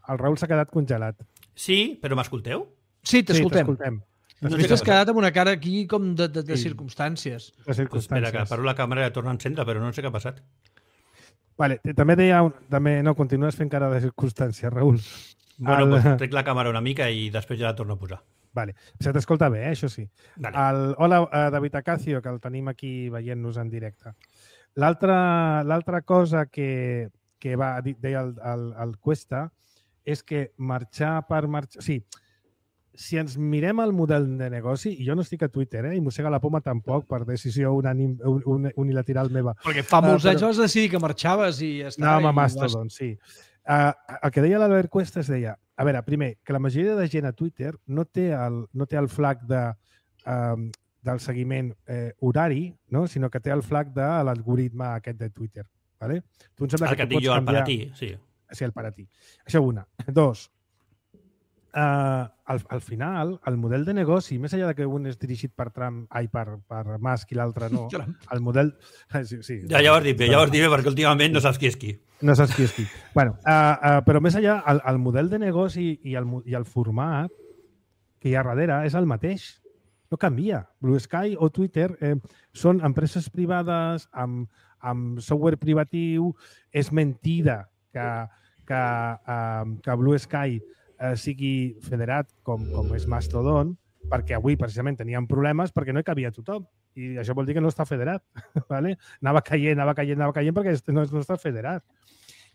El Raül s'ha quedat congelat. Sí, però m'escolteu? Sí, t'escoltem. No t'has quedat amb una cara aquí com de circumstàncies. De circumstàncies. Espera, que paro la càmera i torna a encendre, però no sé què ha passat. Vale, també deia... No, continues fent cara de circumstàncies, Raül. Bueno, pues trec la càmera una mica i després ja la torno a posar. Vale. Se t'escolta bé, això sí. Vale. Hola, David Acacio, que el tenim aquí veient-nos en directe. L'altra cosa que deia el Cuesta és que marxar per marxar... Sí, si ens mirem el model de negoci, i jo no estic a Twitter, i mossega la poma tampoc per decisió unilateral meva. Perquè fa molts anys vas decidir que marxaves i ja està. Anàvem a Mastodon, sí. El que deia l'Albert Cuesta es deia, a veure, primer, que la majoria de gent a Twitter no té el flag del seguiment horari, no? Sinó que té el flag de l'algoritme aquest de Twitter. ¿Vale? Tu em sembla que et dic jo, el per a ti, sí. Sí, el per a ti. Això una. Dos, al final, el model de negoci, més enllà que un és dirigit per Trump, per Musk i l'altre no, el model... Sí, ja ho has dit bé, perquè últimament no saps qui és qui. No saps qui és qui. Bueno, però més enllà, el model de negoci i el format que hi ha darrere és el mateix. No canvia. Blue Sky o Twitter són empreses privades amb software privatiu. És mentida que Blue Sky sigui federat com és Mastodon, perquè avui precisament teníem problemes perquè no hi cabia tothom. I això vol dir que no està federat. ¿Vale? Anava caient perquè no està federat.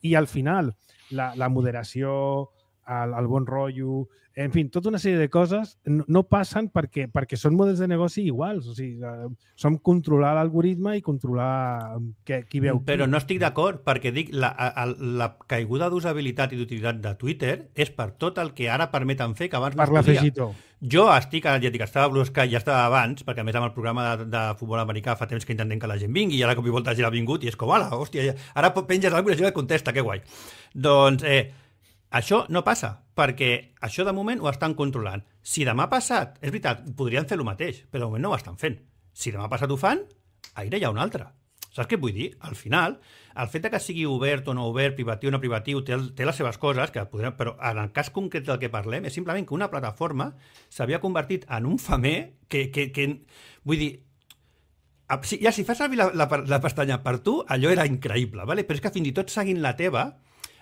I al final, la moderació, el bon rotllo, en fi, tota una sèrie de coses no passen perquè són models de negoci iguals. O sigui, som controlar l'algoritme i controlar qui veu qui. Però no estic d'acord, perquè dic la caiguda d'usabilitat i d'utilitat de Twitter és per tot el que ara permeten fer que abans no es podia. Per l'afegitó. Jo estava a Blue Sky, ja estava abans, perquè a més amb el programa de futbol americà fa temps que intentem que la gent vingui i ara cop i volta ja ha vingut i és com, ala, hòstia, ara penges alguna cosa i la gent et contesta, que guai. Doncs això no passa, perquè això de moment ho estan controlant. Si demà passat, és veritat, podrien fer el mateix, però de moment no ho estan fent. Si demà passat ho fan, aire hi ha un altre. Saps què vull dir? Al final, el fet que sigui obert o no obert, privatiu o no privatiu, té les seves coses, però en el cas concret del que parlem és simplement que una plataforma s'havia convertit en un famer que vull dir, ja si fas servir la pestanya per tu, allò era increïble, ¿vale? Però és que fins i tot seguint la teva,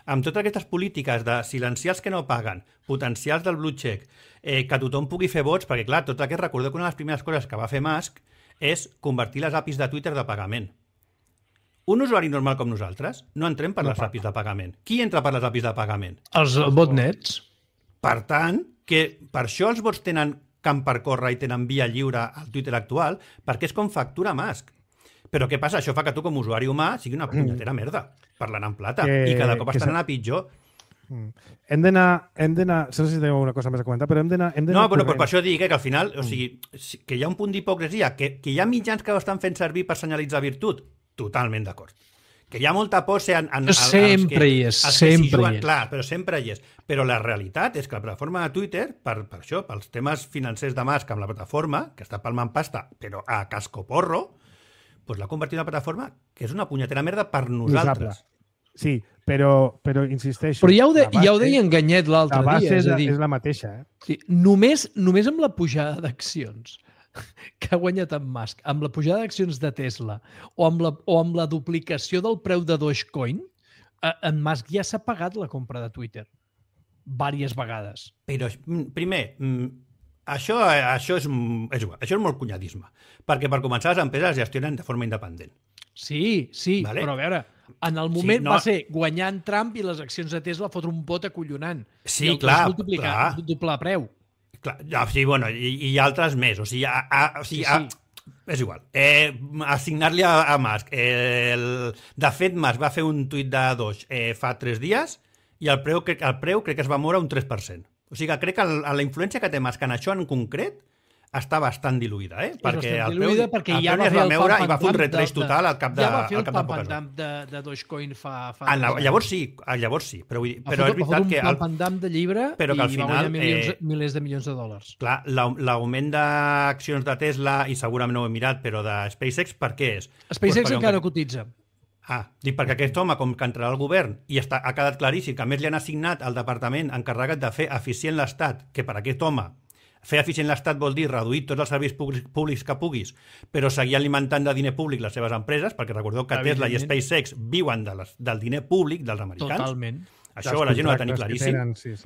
amb totes aquestes polítiques de silenciar els que no paguen, potencials del blue check, que tothom pugui fer vots, perquè clar, tot aquest, recordeu que una de les primeres coses que va fer Musk és convertir les APIs de Twitter de pagament. Un usuari normal com nosaltres no entrem per les APIs de pagament. Qui entra per les APIs de pagament? Els botnets. Per tant, que per això els bots tenen camp per córrer i tenen via lliure al Twitter actual, perquè és com factura Musk. Però què passa? Això fa que tu, com a usuari humà, sigui una punyetera merda, parlant en plata, i cada cop estan anant a pitjor. Hem d'anar... No sé si teniu alguna cosa més a comentar, però hem d'anar... No, però per això dic que al final, o sigui, que hi ha un punt d'hipocresia, que hi ha mitjans que ho estan fent servir per senyalitzar virtut, totalment d'acord. Que hi ha molta pose sempre hi és, sempre hi és. Clar, però sempre hi és. Però la realitat és que la plataforma de Twitter, per això, pels temes financers de Musk amb la plataforma, que està palmant pasta, però a cascoporro, doncs l'ha convertit en una plataforma que és una punyetera merda per nosaltres. Sí, però insisteixo... Però ja ho deia Enganyet l'altre dia. La base és la mateixa. Sí, només amb la pujada d'accions que ha guanyat en Musk, amb la pujada d'accions de Tesla o amb la duplicació del preu de Dogecoin, en Musk ja s'ha pagat la compra de Twitter diverses vegades. Però, primer, això és igual, això és molt cunyadisme, perquè per començar les empreses gestionen de forma independent. Sí, vale? Però a veure, en el moment va ser guanyant Trump i les accions de Tesla fotre un pot acollonant. Sí, clar. Doblar preu. Clar, sí, bueno, i altres més. O sigui, és igual. Assignar-li a Musk. De fet, Musk va fer un tuit de Doge fa 3 dies i el preu crec que es va moure un 3%. O sigui, crec que la influència que té Musk en això en concret està bastant diluïda, perquè el preu ja va fer el moure i va fer un retreix total al cap de ja va fer el pump and dump de Dogecoin fa llavors sí, però és veritat que el pump and dump de llibre però que al final va guanyar milers de milions de dòlars. Clar, l'augment d'accions de Tesla, i segurament no ho he mirat, però de SpaceX, per què és? SpaceX encara cotitza. Dic perquè aquest home, com que entrarà al govern i ha quedat claríssim que a més li han assignat al departament encarregat de fer eficient l'Estat, que per aquest home fer eficient l'Estat vol dir reduir tots els serveis públics que puguis, però seguir alimentant de diner públic les seves empreses, perquè recordeu que Tesla i SpaceX viuen del diner públic dels americans. Totalment. Això la gent ho ha de tenir claríssim.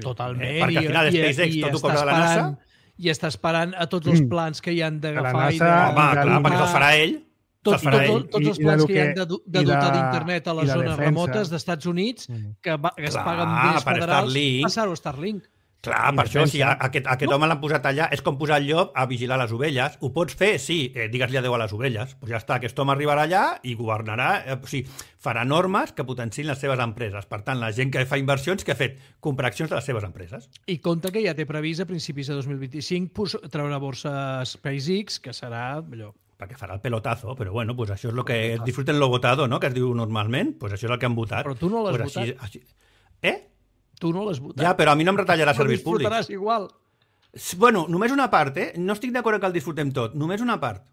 Totalment. Perquè al final SpaceX tot ho cobra de la NASA. I està esperant a tots els plans que hi han d'agafar. Home, clar, perquè te'ls farà ell. Tots els plans que hi han de dotar d'internet a les zones remotes d'Estats Units, que es paguen diners federals, passar-ho a Starlink. Clar, per això, si aquest home l'han posat allà, és com posar el llop a vigilar les ovelles. Ho pots fer? Sí, digues-li adéu a les ovelles. Pues ja està, aquest home arribarà allà i governarà, o sigui, farà normes que potenciïn les seves empreses. Per tant, la gent que fa inversions, que ha fet comprar accions de les seves empreses. I compte que ja té previst a principis de 2025 treure a borsa SpaceX, que serà allò. Perquè farà el pelotazo, però bueno, pues això és el que disfruten lo votado, no?, que es diu normalment, pues això és el que han votat. Però tu no l'has votat. Així... Tu no l'has votat. Ja, però a mi no em retallarà serveis públics. Però disfrutaràs igual. Bueno, només una part, No estic d'acord que el disfrutem tot. Només una part.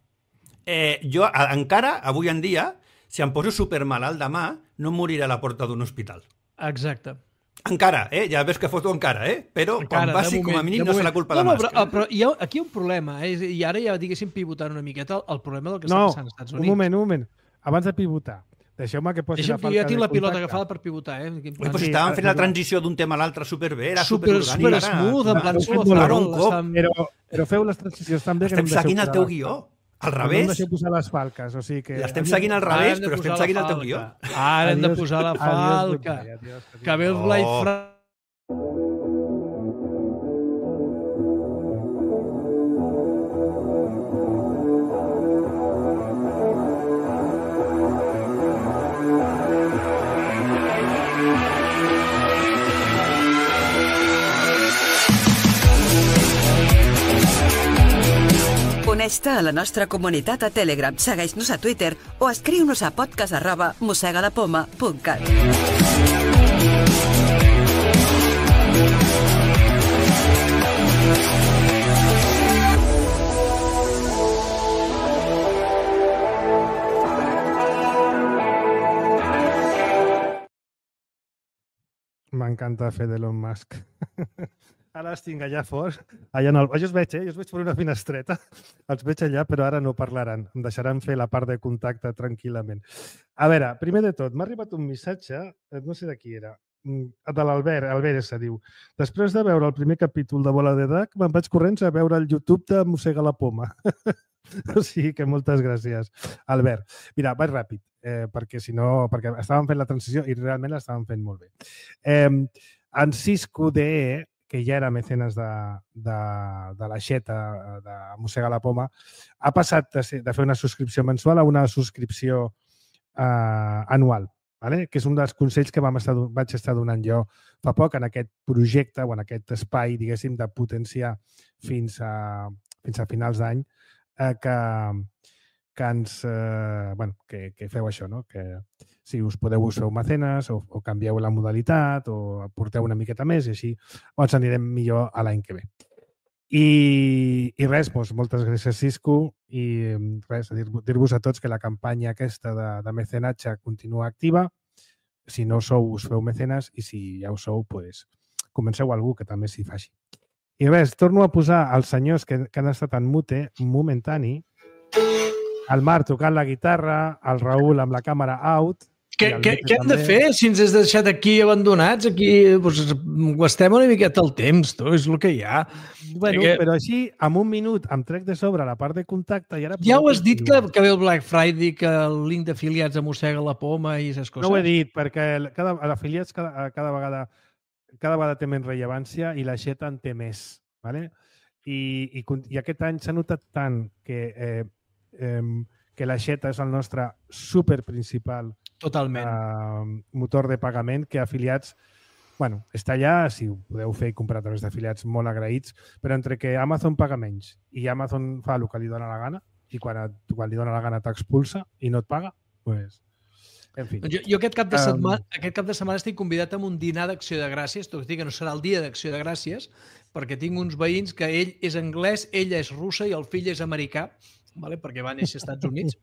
Jo, encara, avui en dia, si em poso supermalalt demà, no em moriré a la porta d'un hospital. Exacte. Encara, ja ves que foto encara, Però quan passi, com a mínim, no serà culpa de Musk. Però aquí hi ha un problema, I ara ja, diguéssim, pivotant una miqueta el problema del que està passant als Estats Units. Un moment. Abans de pivotar, deixeu-me que posi la falca de jo tinc la pilota agafada per pivotar, Pues estàvem fent la transició d'un tema a l'altre superbé, era superorgànic. Super smooth, en plan suau. Però feu les transicions també. Estem seguint el teu guió. Al revés. No em deixeu posar les falques, o sigui que... L'estem seguint al revés, però estem seguint el teu guió. Ara hem de posar la falca. Que ve el Blai Fra... Uneix-te a la nostra comunitat a Telegram, segueix-nos a Twitter o escriu-nos a podcast@mosegadapoma.cat. M'encanta fer d'Elon Musk. Ara els tinc allà fora. Jo els veig, jo els veig per una finestreta. Els veig allà, però ara no parlaran. Em deixaran fer la part de contacte tranquil·lament. A veure, primer de tot, m'ha arribat un missatge, no sé de qui era, de l'Albert, se diu. Després de veure el primer capítol de Bola de Drac, me'n vaig corrents a veure el YouTube de Mossega la Poma. O sigui que moltes gràcies, Albert. Mira, vaig ràpid, perquè si no, perquè estàvem fent la transició i realment l'estàvem fent molt bé. En Cisco DE, que ja era mecenes de l'Aixeta, de Mossega la Poma, ha passat de fer una subscripció mensual a una subscripció anual. vale? Que és un dels consells que vaig estar donant jo fa poc en aquest projecte o en aquest espai, diguéssim, de potenciar fins a finals d'any que feu això, no? Que si us podeu us feu mecenes o canvieu la modalitat o aporteu una miqueta més i així ens anirem millor a l'any que ve. I res, moltes gràcies, Cisco, i res, dir-vos a tots que la campanya aquesta de mecenatge continua activa. Si no sou, us feu mecenes, i si ja ho sou, comenceu algú que també s'hi faci. I res, torno a posar els senyors que han estat en mute momentani, el Marc tocant la guitarra, el Raül amb la càmera out. Què hem de fer si ens has deixat aquí abandonats? Aquí gastem una miqueta el temps, és el que hi ha. Bueno, però així, en un minut, em trec de sobre la part de contacte i ara... Ja ho has dit que ve el Black Friday, que el link d'afiliats mossega la poma i aquestes coses? No ho he dit, perquè l'afiliats cada vegada té menys rellevància i la xeta en té més. ¿Vale? I aquest any s'ha notat tant que la xeta és el nostre superprincipal motor de pagament, que afiliats, bueno, està allà, si ho podeu fer i comprar a través d'afiliats, molt agraïts, però entre que Amazon paga menys i Amazon fa el que li dona la gana i quan li dona la gana t'expulsa i no et paga, doncs... En fi. Jo aquest cap de setmana estic convidat a un dinar d'Acció de Gràcies, tot i que no serà el dia d'Acció de Gràcies, perquè tinc uns veïns que ell és anglès, ella és russa i el fill és americà, perquè va néixer als Estats Units,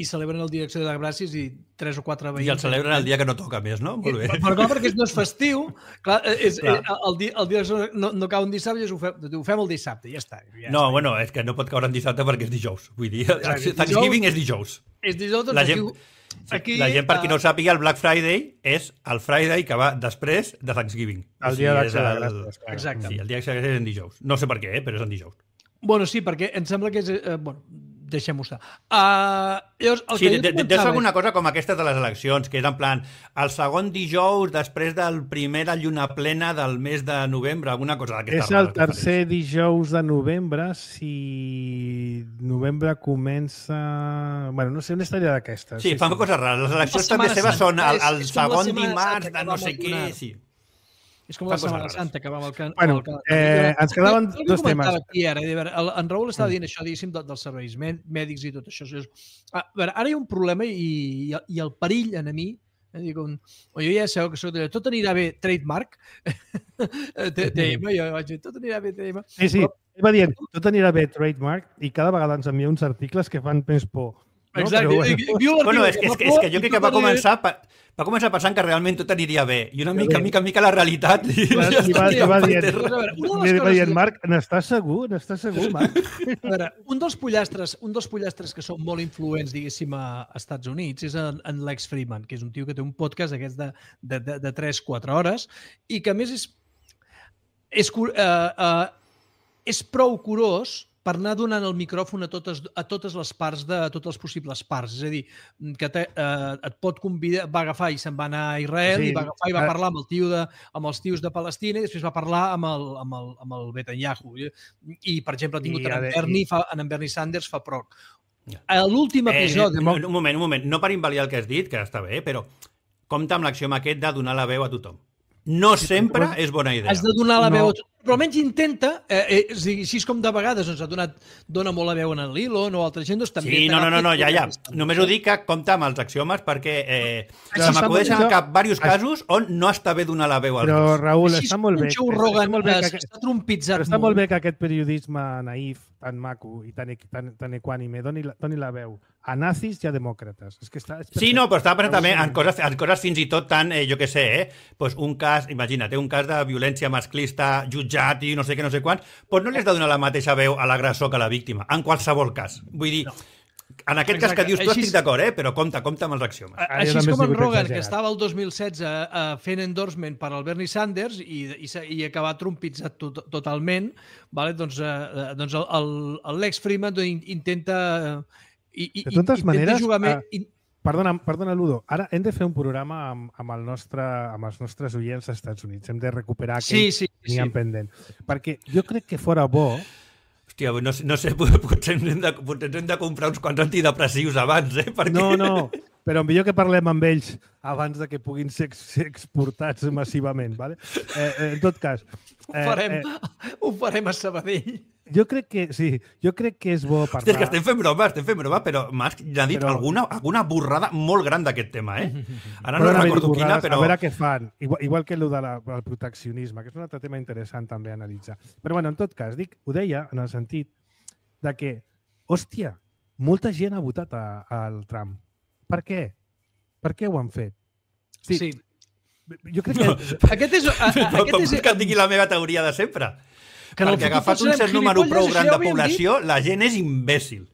i celebren el dia d'Acció de Gràcies i 3 o 4 veïns... I el celebren el dia que no toca més, no? Molt bé. Però clar, perquè no és festiu, el dia no cau un dissabte i ho fem el dissabte, ja està. No, bueno, és que no pot caure en dissabte perquè és dijous. Vull dir, Thanksgiving és dijous. És dijous, doncs la gent, per qui no ho sàpiga, el Black Friday és el Friday que va després de Thanksgiving. El dia d'Acció de Gràcies. Exacte. Sí, el dia d'Acció de Gràcies és en dijous. No sé per què, però és en dijous. Bueno, sí, perquè em sembla que és... deixem-ho estar. Sí, deu ser alguna cosa com aquesta de les eleccions, que és en plan el segon dijous després del primera lluna plena del mes de novembre, alguna cosa d'aquesta. És el tercer dijous de novembre, si novembre comença... Bueno, no sé, una història d'aquesta. Sí, fan coses rares. Les eleccions també seves són el segon dimarts de no sé què, sí. És com la Setmana Santa que va amb el... Bueno, ens quedaven dos temes. En Raül estava dient això, diguéssim, dels serveis mèdics i tot això. A veure, ara hi ha un problema i el perill en mi, jo ja sabeu que tot anirà bé trademark, TM, jo vaig dir, tot anirà bé TM. Sí, va dient, tot anirà bé trademark i cada vegada ens envia uns articles que fan més por. Exacte. Bueno, és que jo crec que va començar pensant que realment tot aniria bé. I una mica la realitat... I va dient, Marc, n'estàs segur? Marc? A veure, un dels pollastres que són molt influents, diguéssim, a Estats Units és en Lex Fridman, que és un tio que té un podcast d'aquests de 3-4 hores i que, a més, és prou curós per anar donant el micròfon a totes les parts, a totes les possibles parts. És a dir, que et pot convidar, va agafar i se'n va anar a Israel, i va agafar i va parlar amb els tios de Palestina i després va parlar amb el Netanyahu. I, per exemple, ha tingut en Bernie Sanders fa poc. A l'últim episodi... Un moment. No per invalidar el que has dit, que està bé, però compta amb l'axioma aquest de donar la veu a tothom. No sempre és bona idea. Has de donar la veu a tothom. Però almenys intenta, així com de vegades dona molt la veu en el Lilo o altra gent, doncs també... Sí, no, ja. Només ho dic que compta amb els axiomes perquè se m'acudeixen al cap diversos casos on no està bé donar la veu als dos. Però, Raül, està molt bé. Està molt bé que aquest periodisme naïf, tan maco i tan equànime, doni la veu a nazis i a demòcrates. Sí, no, però estava pensant també en coses fins i tot tan, jo què sé, un cas, imagina't, un cas de violència masclista jutjat i no sé què, no sé quants, doncs no li has de donar la mateixa veu a l'agressor que a la víctima, en qualsevol cas. Vull dir, en aquest cas que dius tu estic d'acord, però compta amb els axiomes. Així com en Rogan, que estava el 2016 fent endorsement per al Bernie Sanders i acaba trompitzat totalment, doncs el Lex Fridman intenta... De totes maneres, perdona, Ludo, ara hem de fer un programa amb els nostres oients als Estats Units. Hem de recuperar aquells que teníem pendent. Perquè jo crec que fora bo... Hòstia, no sé, potser hem de comprar uns quants antidepressius abans, perquè... No, Però millor que parlem amb ells abans de que puguin ser exportats massivament. Vale? En tot cas... Ho farem a Sabadell. Jo crec que és bo parlar... Hòstia, és que estem fent broma, però m'has dit alguna borrada molt gran d'aquest tema, Ara no recordo quina, però... A veure què fan. Igual que el del proteccionisme, que és un altre tema interessant també a analitzar. Però, bueno, en tot cas, ho deia en el sentit de que, hòstia, molta gent ha votat al Trump. Per què? Per què ho han fet? Sí. Jo crec que... Aquest és que et digui la meva teoria de sempre. Perquè agafat un cert número prou gran de població, la gent és imbècil.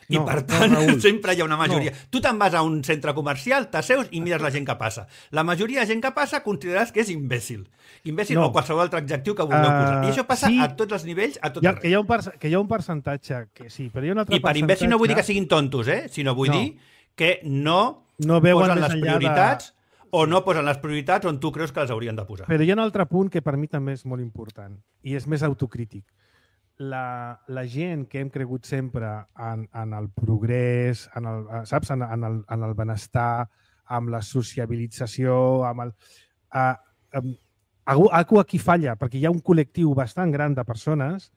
I per tant, sempre hi ha una majoria. Tu te'n vas a un centre comercial, t'asseus i mires la gent que passa. La majoria de gent que passa consideraràs que és imbècil. Imbècil o qualsevol altre adjectiu que vulgueu posar. I això passa a tots els nivells, a tot arreu. Que hi ha un percentatge que sí, però hi ha un altre percentatge... I per imbècil no vull dir que siguin tontos, sinó vull dir que no posen les prioritats o no posen les prioritats on tu creus que les haurien de posar. Però hi ha un altre punt que per mi també és molt important i és més autocrític. La gent que hem cregut sempre en el progrés, saps, en el benestar, amb la sociabilització, algú aquí falla, perquè hi ha un col·lectiu bastant gran de persones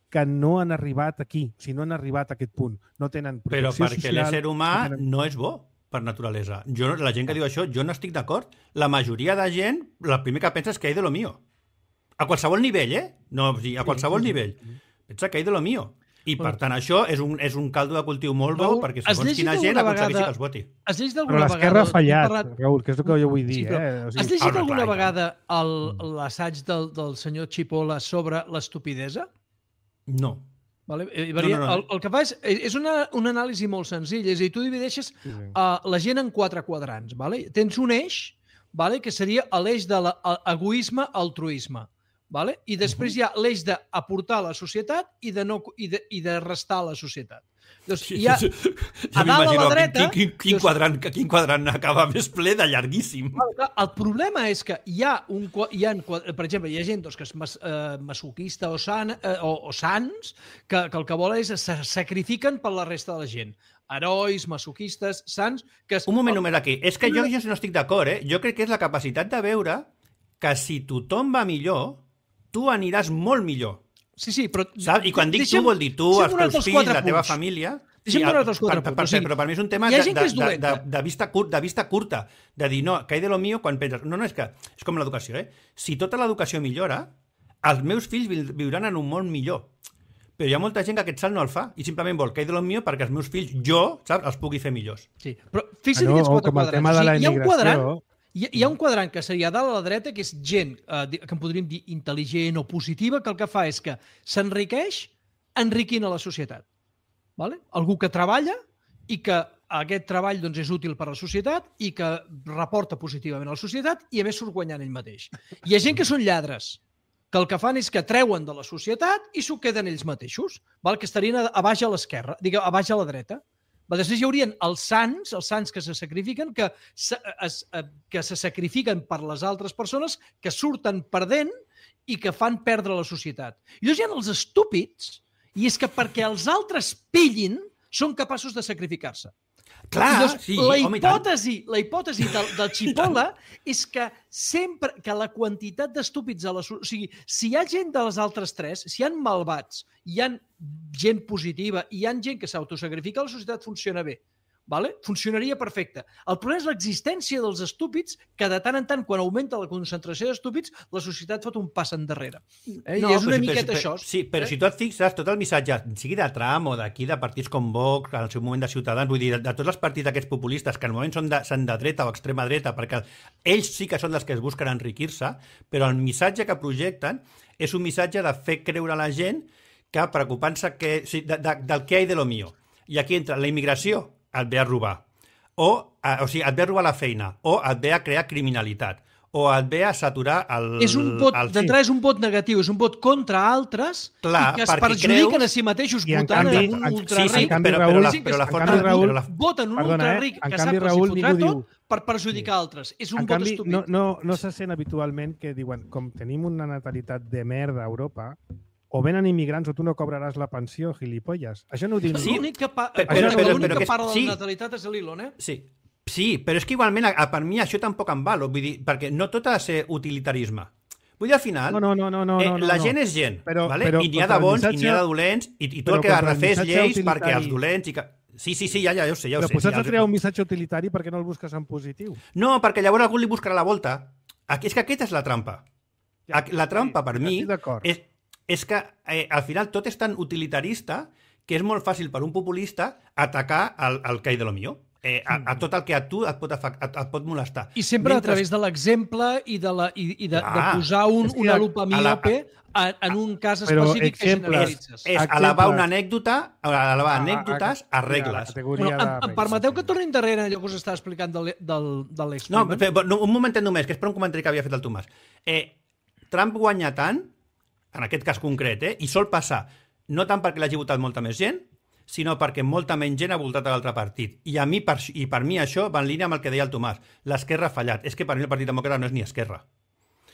que no han arribat aquí, o sigui, no han arribat a aquest punt. No tenen protecció social... Però perquè l'ésser humà no és bo, per naturalesa. La gent que diu això, jo no estic d'acord. La majoria de gent, el primer que pensa és que hay de lo mío. A qualsevol nivell, No, a qualsevol nivell. Pensa que hay de lo mío. I, per tant, això és un caldo de cultiu molt bo perquè segons quina gent aconsegueixi que els voti. Però l'esquerra ha fallat, Raül, que és el que jo vull dir. Has llegit alguna vegada l'assaig del senyor Chipola sobre l'estupidesa? No. Vale? El que fa és una anàlisi molt senzilla. És a dir, tu divideixes la gent en 4 quadrants. Vale? Tens un eix que seria l'eix de l'egoisme-altruisme. Vale? I després hi ha l'eix d'aportar a la societat i de restar a la societat. Doncs hi ha, a dalt a la dreta... Quin quadrant acaba més ple de llarguíssim. El problema és que per exemple, hi ha gent que és masoquista o sants que el que volen és se sacrifiquen per la resta de la gent. Herois, masoquistes, sants... Un moment aquí. És que jo no estic d'acord, Jo crec que és la capacitat de veure que si tothom va millor, tu aniràs molt millor. Sí, però... Saps? I quan dic tu, vol dir tu, els teus fills, la teva família... Però per mi és un tema de vista curta, de dir, no, que hay de lo mío quan penses... No, és que és com l'educació, Si tota l'educació millora, els meus fills viuran en un món millor. Però hi ha molta gent que aquest salt no el fa i simplement vol que hay de lo mío perquè els meus fills, saps, els pugui fer millors. Sí, però fixa't aquests 4 quadrats. Hi ha un quadrant que seria dalt a la dreta, que és gent que en podríem dir intel·ligent o positiva, que el que fa és que s'enriqueix enriquint a la societat. Vale? Algú que treballa i que aquest treball és útil per a la societat i que reporta positivament a la societat i a més surt guanyant ell mateix. Hi ha gent que són lladres, que el que fan és que treuen de la societat i s'ho queden ells mateixos, que estarien a baix a l'esquerra, a baix a la dreta. Després hi haurien els sants que se sacrifiquen, que se sacrifiquen per les altres persones, que surten perdent i que fan perdre la societat. I llavors hi ha els estúpids, i és que perquè els altres pillin són capaços de sacrificar-se. Clar, sí, home, i tant. La hipòtesi del Chipola és que sempre que la quantitat d'estúpids o sigui, si hi ha gent de les altres 3, si hi ha malvats, hi ha gent positiva i hi ha gent que s'autosacrifica, la societat funciona bé. Vale? Funcionaria perfecte. El problema és l'existència dels estúpids, que de tant en tant, quan augmenta la concentració d'estúpids, la societat fot un pas endarrere. I és una miqueta això. Sí, però si tu et fixes, tot el missatge, sigui de Trump o d'aquí, de partits com Vox, al seu moment de Ciutadans, vull dir, de tots els partits d'aquests populistes, que al moment són de dreta o extrema dreta, perquè ells sí que són els que es busquen enriquir-se, però el missatge que projecten és un missatge de fer creure a la gent que preocupant-se del que hay de lo mío. I aquí entra la immigració, et ve a robar, o sigui, et ve a robar la feina, o et ve a crear criminalitat, o et ve a saturar el... D'entrada és un vot negatiu, és un vot contra altres i que es perjudiquen a si mateixos votant en un ultraric. Voten un ultraric que sap que s'hi fotrà tot per perjudicar altres. És un vot estúpid. No se sent habitualment que diuen, com tenim una natalitat de merda a Europa, o venen immigrants o tu no cobraràs la pensió, gilipolles. Això no ho diu ningú. L'únic que parla de la natalitat és l'Elon, Sí, Sí, però és que igualment per mi això tampoc em val, vull dir, perquè no tot ha de ser utilitarisme. Vull dir, al final, la gent és gent, vale? I n'hi ha de bons i n'hi ha de dolents, i tu el que has de fer és lleis perquè els dolents... Sí, ja ho sé. Però posats a crear un missatge utilitari perquè no el busques en positiu. No, perquè llavors algú li buscarà la volta. És que aquesta és la trampa. La trampa, per mi, és que al final tot és tan utilitarista que és molt fàcil per un populista atacar el que hi de lo millor. A tot el que a tu et pot molestar. I sempre a través de l'exemple i de posar una lupa miope en un cas específic que generalitzes. És elevar una anècdota, elevar anècdotes a regles. Em permeteu que torni endarrere allò que us estava explicant de l'ex. No, un momentet només, que és per un comentari que havia fet el Tomàs. Trump guanya tant, en aquest cas concret, i sol passar, no tant perquè l'hagi votat molta més gent, sinó perquè molta menys gent ha voltat a l'altre partit. I per mi això va en línia amb el que deia el Tomàs. L'esquerra ha fallat. És que per mi el Partit Demòcrata no és ni esquerra.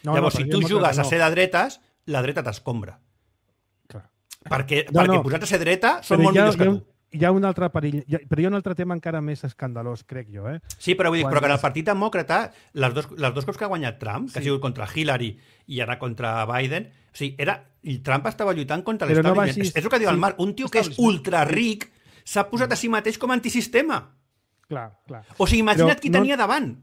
Llavors, si tu jugues a ser de dretes, la dreta t'escombra. Perquè posats a ser dreta són molt millors que tu. Hi ha un altre perill, però hi ha un altre tema encara més escandalós, crec jo. Sí, però vull dir, però que en el Partit Demòcrata, les dos cops que ha guanyat Trump, que ha sigut contra Hillary i ara contra Biden, o sigui, Trump estava lluitant contra l'establishment. És el que diu el Marc, un tio que és ultra ric s'ha posat a si mateix com a antisistema. Clar. O sigui, imagina't qui tenia davant.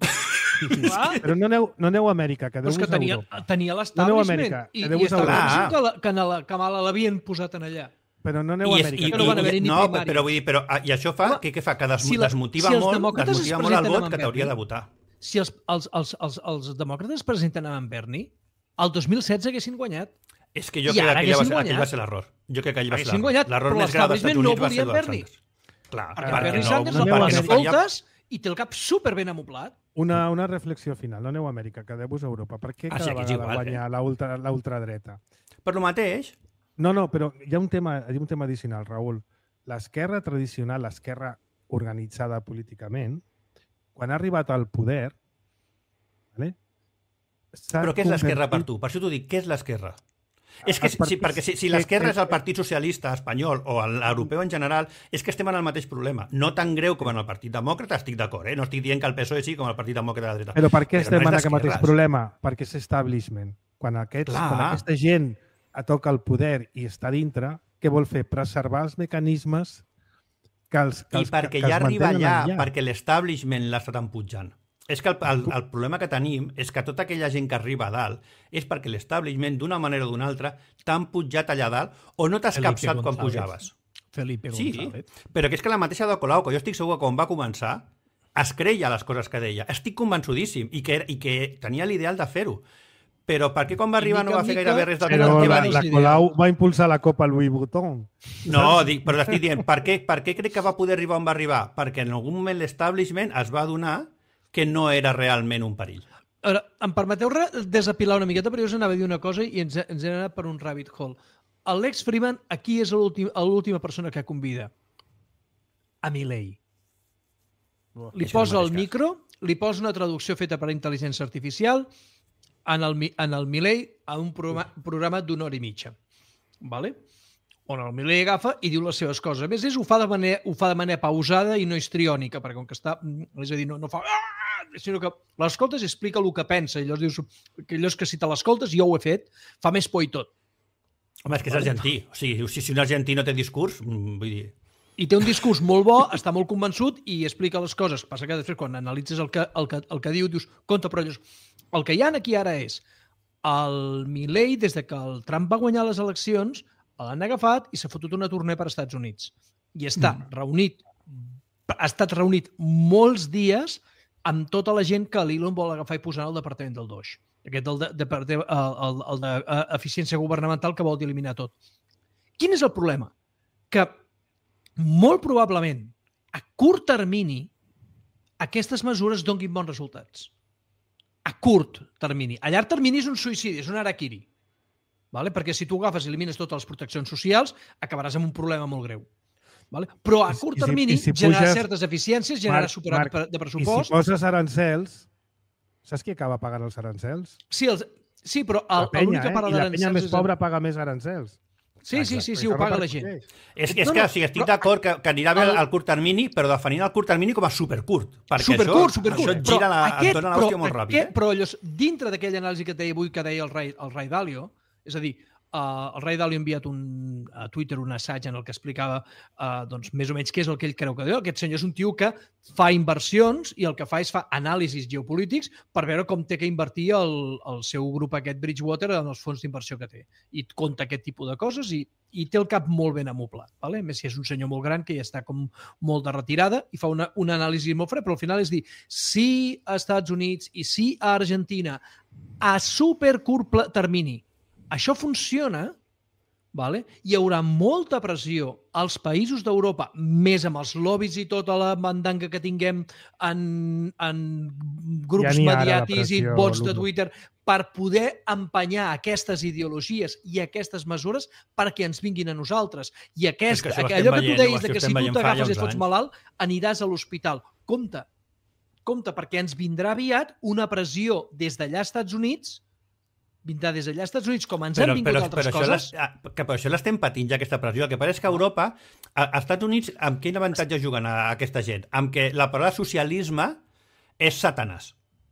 Però no aneu a Amèrica, quedeu-vos a Europa. Tenia l'establishment i estava que a Kamala l'havien posat en allà. Però no aneu a Amèrica. No van haver-hi ni primàries. Però vull dir, i això fa, què fa? Que desmotiva molt el vot que t'hauria de votar. Si els demòcrates presenten amb en Bernie, el 2016 haguessin guanyat. És que jo crec que aquell va ser l'error. Jo crec que allà va ser l'error. L'error més gran dels Estats Units va ser Bernie. Clar, perquè Bernie Sanders el parla escoltes i té el cap superben amoblat. Una reflexió final. No aneu a Amèrica, quedeu-vos a Europa. Per què cada vegada guanya l'ultradreta? Per lo mateix. No, però hi ha un tema addicional, Raül. L'esquerra tradicional, l'esquerra organitzada políticament, quan ha arribat al poder... Però què és l'esquerra per tu? Per això t'ho dic, què és l'esquerra? És que perquè si l'esquerra és el Partit Socialista espanyol o l'europeu en general, és que estem en el mateix problema. No tan greu com en el Partit Demòcrata, estic d'acord, no estic dient que el PSOE sigui com el Partit Demòcrata de la dreta. Però per què estem en aquest mateix problema? Perquè és establishment. Quan aquesta gent toca el poder i està dintre, què vol fer? Preservar els mecanismes que els I perquè ja arriba allà, perquè l'establishment l'ha estat empujant. És que el problema que tenim és que tota aquella gent que arriba a dalt és perquè l'establishment, d'una manera o d'una altra, t'ha empujat allà dalt o no t'has capçat quan pujaves. Felipe González. Sí, però que és que la mateixa de Colau, que jo estic segur que quan va començar, es creia les coses que deia. Estic convençudíssim i que tenia l'ideal de fer-ho. Però per què quan va arribar no va fer gairebé res del que va dir? La Colau va impulsar la Copa Louis Vuitton. No, però estic dient, per què crec que va poder arribar on va arribar? Perquè en algun moment l'establishment es va adonar que no era realment un perill. Ara, em permeteu desapilar una miqueta, però jo us anava a dir una cosa i ens hem anat per un rabbit hole. L'Alex Freeman aquí és l'última persona que convida. A Milei. Li posa el micro, li posa una traducció feta per intel·ligència artificial en el Milei a un programa d'una hora i mitja. Vale? On el Milei agafa i diu les seves coses. A més, ho fa de manera pausada i no histriònica, perquè com que està... És a dir, no fa... sinó que l'escoltes i explica el que pensa. I llavors dius que allò és que si te l'escoltes, jo ho he fet, fa més por i tot. Home, és que és argentí. O sigui, si un argentí no té discurs, vull dir... I té un discurs molt bo, està molt convençut i explica les coses. Passa que després, quan analitzes el que diu, dius, compte, però el que hi ha aquí ara és el Milei, des de que el Trump va guanyar les eleccions, l'han agafat i s'ha fotut una tournée per als Estats Units. I està reunit, ha estat reunit molts dies amb tota la gent que l'Elon vol agafar i posar al departament del DOJ. Aquest el d'eficiència governamental que vol eliminar tot. Quin és el problema? Que molt probablement a curt termini aquestes mesures donguin bons resultats. A curt termini. A llarg termini és un suïcidi, és un harakiri. Vale? Perquè si tu agafes i elimines totes les proteccions socials, acabaràs amb un problema molt greu. Vale? Però a curt termini generar certes eficiències, generar superat de pressupost... I si poses arancels, saps qui acaba pagant els arancels? Sí, però l'única part de l'arancels... I la penya més pobra paga més arancels. Sí, ho paga la gent. És que estic d'acord que anirà bé al curt termini, però definint el curt termini com a supercurt. Perquè supercurt. Això et gira dona l'hòstia molt ràpid. Però dintre d'aquella anàlisi que deia avui, que deia el Ray Dalio, és a dir, el Ray Dalio ha enviat a Twitter un assaig en el que explicava més o menys què és el que ell creu que deu. Aquest senyor és un tio que fa inversions i el que fa és fa anàlisis geopolítics per veure com té que invertir el seu grup aquest Bridgewater en els fons d'inversió que té. I compta aquest tipus de coses i té el cap molt ben amoblat. Vale? A més, si és un senyor molt gran que ja està com molt de retirada i fa una anàlisi molt fred, però al final és dir, si a Estats Units i si a Argentina a supercurt termini això funciona, vale? Hi haurà molta pressió als països d'Europa, més amb els lobbies i tota la mandanga que tinguem en grups mediàtics i bots de Twitter, per poder empenyar aquestes ideologies i aquestes mesures perquè ens vinguin a nosaltres. I allò que tu deies que si tu t'agafes i et fots malalt, aniràs a l'hospital. Compte, perquè ens vindrà aviat una pressió des d'allà als Estats Units, com ens han vingut altres coses. Però això l'estem patint ja, aquesta pressió. El que passa és que a Europa, als Estats Units, amb quin avantatge juguen a aquesta gent? Amb que la paraula socialisme és Satanàs.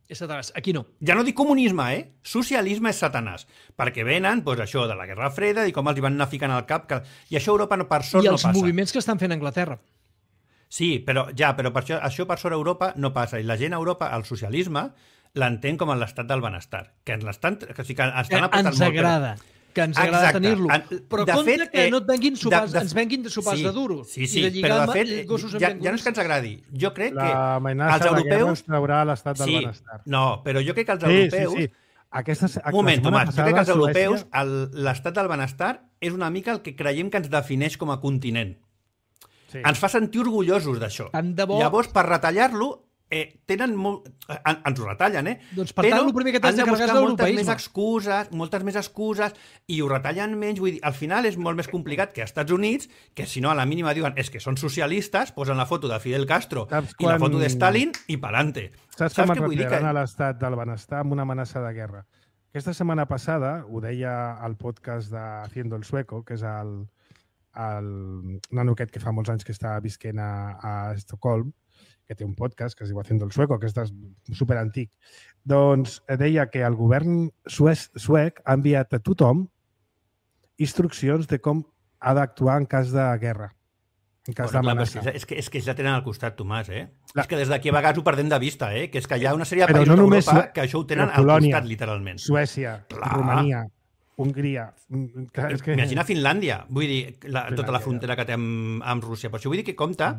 És Satanàs. Aquí no. Ja no dic comunisme, Socialisme és Satanàs. Perquè venen, això de la Guerra Freda i com els hi van anar ficant al cap. I això a Europa, per sort, no passa. I els moviments que estan fent a Anglaterra. Sí, però per això per sort a Europa no passa. I la gent a Europa, el socialisme, l'entén com l'estat del benestar. Que ens agrada. Que ens agrada tenir-lo. Però compte que no et venguin ens venguin de sopars de duro. Sí, però de fet, ja no és que ens agradi. Jo crec que els europeus... traurà l'estat del benestar. No, però jo crec que els europeus... Un moment, Tomàs, jo crec que els europeus l'estat del benestar és una mica el que creiem que ens defineix com a continent. Ens fa sentir orgullosos d'això. Llavors, per retallar-lo, tenen molt... Ens ho retallen, Doncs per tant, el primer que t'has de carregar és l'europeisme. Moltes més excuses, i ho retallen menys. Vull dir, al final és molt més complicat que als Estats Units, que si no, a la mínima diuen és que són socialistes, posen la foto de Fidel Castro i la foto de Stalin i pa'lante. Saps com es retiraran a l'estat del benestar amb una amenaça de guerra? Aquesta setmana passada, ho deia al podcast de Haciendo el Sueco, que és el nano aquest que fa molts anys que està visquent a Estocolm, que té un podcast que es diu Haciendo el Sueco, que és superantic. Doncs deia que el govern suec ha enviat a tothom instruccions de com ha d'actuar en cas de guerra, en cas d'amenaça. És que ja tenen al costat, Tomàs, És que des d'aquí a vegades ho perdem de vista, que és que hi ha una sèrie de països d'Europa que això ho tenen al costat, literalment. Suècia, Romania, Hongria... Imagina Finlàndia, vull dir, tota la frontera que té amb Rússia. Per això vull dir que compta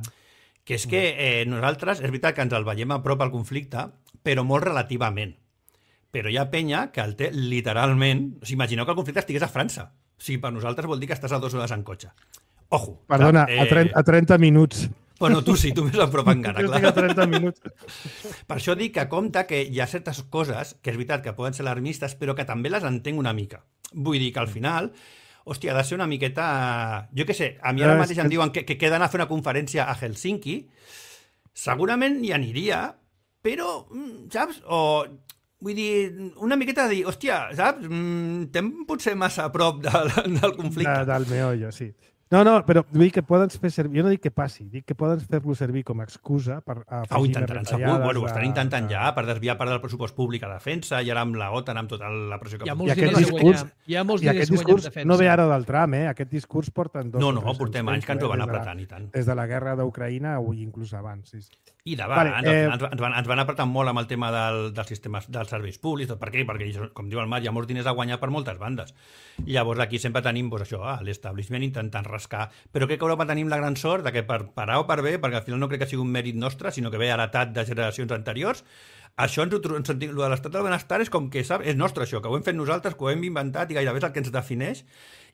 que és que nosaltres, és veritat que ens el veiem a prop al conflicte, però molt relativament. Però hi ha penya que el té literalment... O sigui, imagineu que el conflicte estigués a França. O sigui, per nosaltres vol dir que estàs a 2 hores en cotxe. Ojo. Perdona, a 30 minuts. Bueno, tu sí, tu més a prop encara, clar. Jo estic a 30 minuts. Per això dic que compta que hi ha certes coses que és veritat que poden ser alarmistes, però que també les entenc una mica. Vull dir que al final... Hòstia, ha de ser una miqueta... Jo què sé, a mi ara mateix em diuen que queden a fer una conferència a Helsinki. Segurament hi aniria, però, saps? O, vull dir, una miqueta de dir, hòstia, saps? Estem potser massa a prop del conflicte. Del meollo, sí. No, però vull dir que poden fer servir... Jo no dic que passi, dic que poden fer-lo servir com a excusa per ho intentaran segur, ho estan intentant ja per desviar part del pressupost públic a defensa i ara amb la OTAN, amb tota la pressió que... I aquest discurs no ve ara del Trump, Aquest discurs porten 2 No, portem anys que ens ho van apretant i tant. Des de la guerra d'Ucraïna o inclús abans, sí. I d'abans, ens van apretar molt amb el tema dels sistemes dels serveis públics. Per què? Perquè, com diu el Marc, hi ha molts diners a guanyar per moltes bandes. Llavors aquí sempre tenim l'establishment intentant rascar. Però crec que a Europa tenim la gran sort de que per A o per B, perquè al final no crec que sigui un mèrit nostre, sinó que ve heretat de generacions anteriors, això el de l'estat del benestar és com que és nostre això, que ho hem fet nosaltres, que ho hem inventat i gairebé és el que ens defineix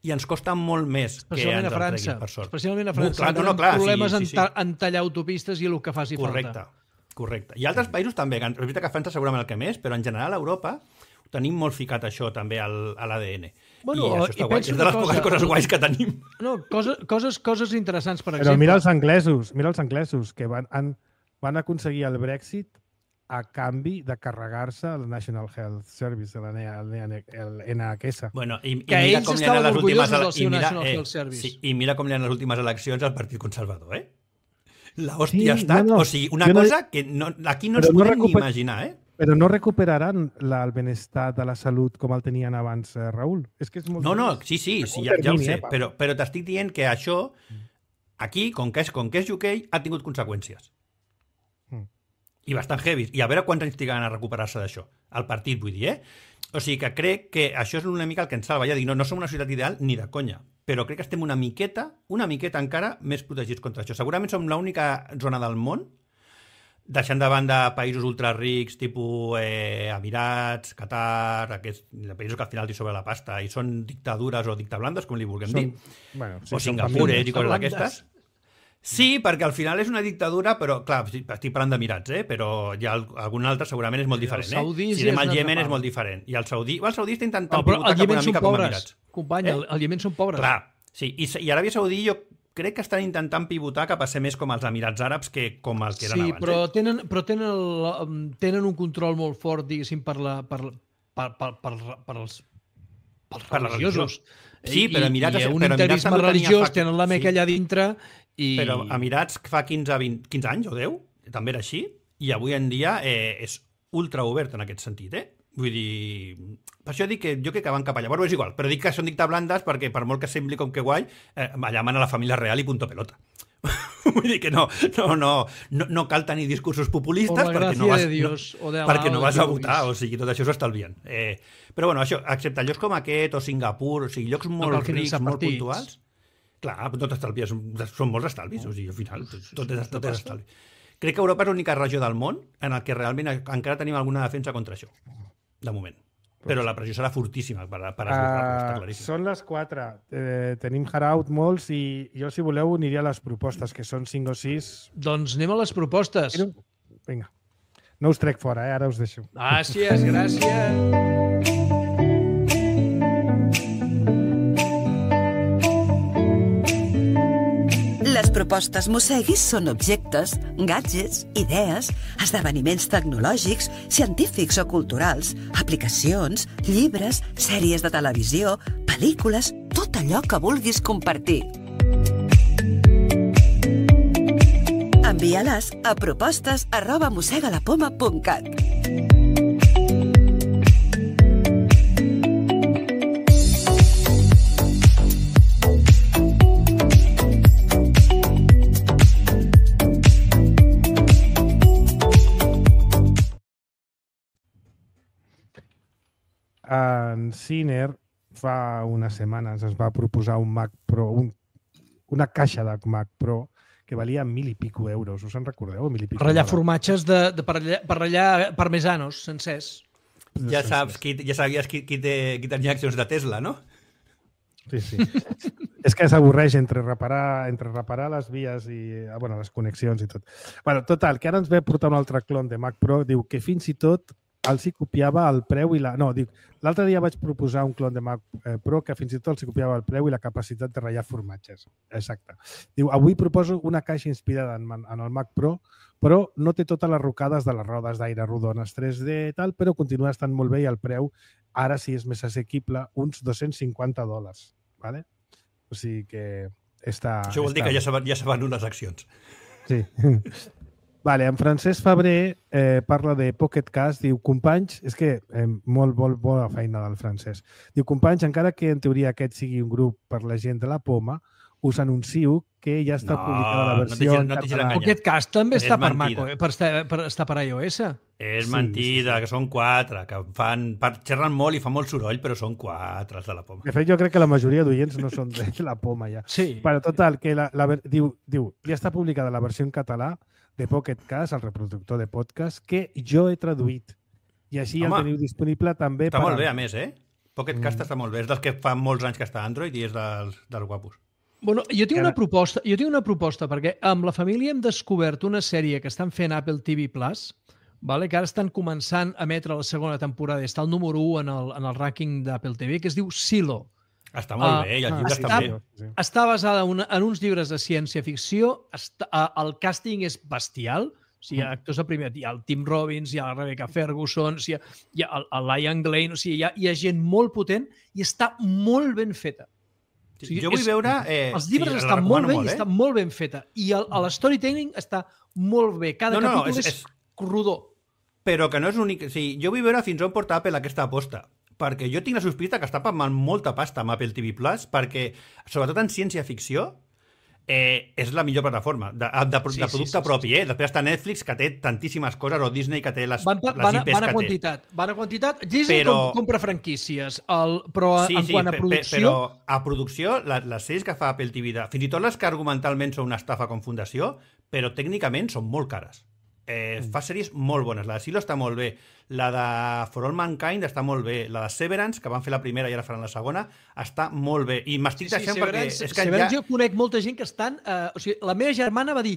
i ens costa molt més que ens el treguin, per sort. Especialment a França, tenen problemes en tallar autopistes i el que faci falta. Correcte. I altres països també, és veritat que a França segurament el que més, però en general a Europa tenim molt ficat això també a l'ADN. Bueno, i això està guai. És de les poques coses guais que tenim. No, coses interessants, per exemple. Però mira els anglesos que van aconseguir el Brexit a canvi de carregar-se el National Health Service, el NHS. Bueno, i que mira ells com li han estaven les últimes orgullosos del seu National Health Service. Sí, i mira com li han les últimes eleccions al Partit Conservador, La hòstia ha estat... O sigui, una cosa que aquí no ens podem ni imaginar, Però no recuperaran el benestar de la salut com el tenien abans, Raül? És que és molt... No, sí, ja ho sé, però t'estic dient que això, aquí, com que és UK, ha tingut conseqüències. I bastant heavy. I a veure quants anys trigaran a recuperar-se d'això. El partit, vull dir, O sigui que crec que això és una mica el que ens salva. Ja dic, no som una societat ideal ni de conya, però crec que estem una miqueta encara més protegits contra això. Segurament som l'única zona del món, deixant de banda països ultrarics, tipus Emirats, Qatar, aquests països que al final t'hi sobre la pasta i són dictadures o dictablandes, com li vulguem dir, o Singapur i coses d'aquestes. Sí, perquè al final és una dictadura, però, clar, estic parlant d'Emirats, però hi ha algun altre segurament és molt diferent. Si anem al Iemen és molt diferent. I el saudí està intentant pivotar cap una mica com Emirats. Company, el Iemen són pobres. Clar, sí. I Aràbia Saudí jo crec que estan intentant pivotar cap a ser més com els Emirats Àrabs que com els que eren abans. Sí, però tenen un control molt fort, diguéssim, per els religiosos. Sí, però Emirats... I un interisme religiós, tenen la Meca allà dintre... Però Emirats fa 15 anys o 10, també era així, i avui en dia és ultra obert en aquest sentit, Vull dir... Per això dic que jo crec que van cap allà. Però és igual, però dic que són dictablandes perquè per molt que sembli com que guai, allà mana la família real i punto pelota. Vull dir que no cal tenir discursos populistes perquè no vas a votar, o sigui, tot això s'ho estalvien. Però bueno, això, excepte llocs com aquest o Singapur, o sigui, llocs molt rics, molt puntuals... Clar, tot estalvis, són molts estalvis, o sigui, al final, tot és estalvi. Crec que Europa és l'única regió del món en el que realment encara tenim alguna defensa contra això, de moment. Però la pressió serà fortíssima per esborrar-lo, està claríssim. Són les 4. Tenim haraut molts i jo, si voleu, aniria a les propostes, que són 5 o 6. Doncs anem a les propostes. Vinga. No us trec fora, ara us deixo. Gràcies. Les propostes Mosseguis són objectes, gadgets, idees, esdeveniments tecnològics, científics o culturals, aplicacions, llibres, sèries de televisió, pel·lícules, tot allò que vulguis compartir. Envia-les a propostes@mossegalapoma.cat. En Ciner fa unes setmanes es va proposar un Mac Pro, una caixa de Mac Pro que valia 1.000 i pico euros. Us en recordeu? Per ratllar formatges per ratllar parmesanos sencers. Ja sabies qui tenia accions de Tesla, no? Sí. És que s'avorreix entre reparar les vies i les connexions i tot. Total, que ara ens ve portar un altre clon de Mac Pro. Diu que fins i tot els hi copiava el preu i l'altre dia vaig proposar un clon de Mac Pro que fins i tot els hi copiava el preu i la capacitat de ratllar formatges. Exacte. Diu, avui proposo una caixa inspirada en el Mac Pro, però no té totes les rocades de les rodes d'aire rodones 3D i tal, però continua estant molt bé i el preu, ara sí és més assequible, uns $250. Vale? O sigui que està... Això vol dir que ja se van unes accions. Sí. Vale, en Francesc Febrer parla de Pocket Cast, diu, companys, és que molt bona feina del Francesc. Diu, companys, encara que en teoria aquest sigui un grup per la gent de la Poma, us anuncio que ja està publicada la versió en català. Pocket Cast també està per Mac, està per iOS. És mentida, que són 4, que xerren molt i fan molt soroll, però són 4 els de la Poma. De fet, jo crec que la majoria d'oients no són de la Poma ja. Sí. Però total, que diu, ja està publicada la versió en català de Pocket Cast, el reproductor de podcast, que jo he traduït. I així el teniu disponible també... Està molt bé, a més, Pocket Cast està molt bé. És dels que fa molts anys que està a Android i és dels guapos. Bueno, jo tinc una proposta, perquè amb la família hem descobert una sèrie que estan fent Apple TV+, vale? Que ara estan començant a emetre la segona temporada i està el número 1 en el rànquing d'Apple TV, que es diu Silo. Està molt bé, i els llibres també. Està basada en uns llibres de ciència-ficció, el càsting és bestial, O sigui, hi ha actors de primer... Hi ha el Tim Robbins, hi ha la Rebecca Ferguson, hi ha el Ian Glenn... O sigui, hi ha gent molt potent i està molt ben feta. O sigui, jo vull veure... els llibres estan molt bé i estan molt ben feta. I l'storytelling està molt bé. Cada capítol és rodó. Però que no és únic... O sigui, jo vull veure fins on porta Apple aquesta aposta. Perquè jo tinc la sospita que està pagant molta pasta amb Apple TV+, perquè, sobretot en ciència-ficció, és la millor plataforma de producte propi. Després està Netflix, que té tantíssimes coses, o Disney, que té les IPs que té. Van a quantitat. Disney compra franquícies, però quant a producció... Però a producció, les sèries que fa Apple TV, fins i tot les que argumentalment són una estafa com fundació, però tècnicament són molt cares. Fa sèries molt bones. La de Silo està molt bé. La de For All Mankind està molt bé. La de Severance, que van fer la primera i ara faran la segona, està molt bé. I m'estic deixant perquè... Severance jo conec molta gent que estan... O sigui, la meva germana va dir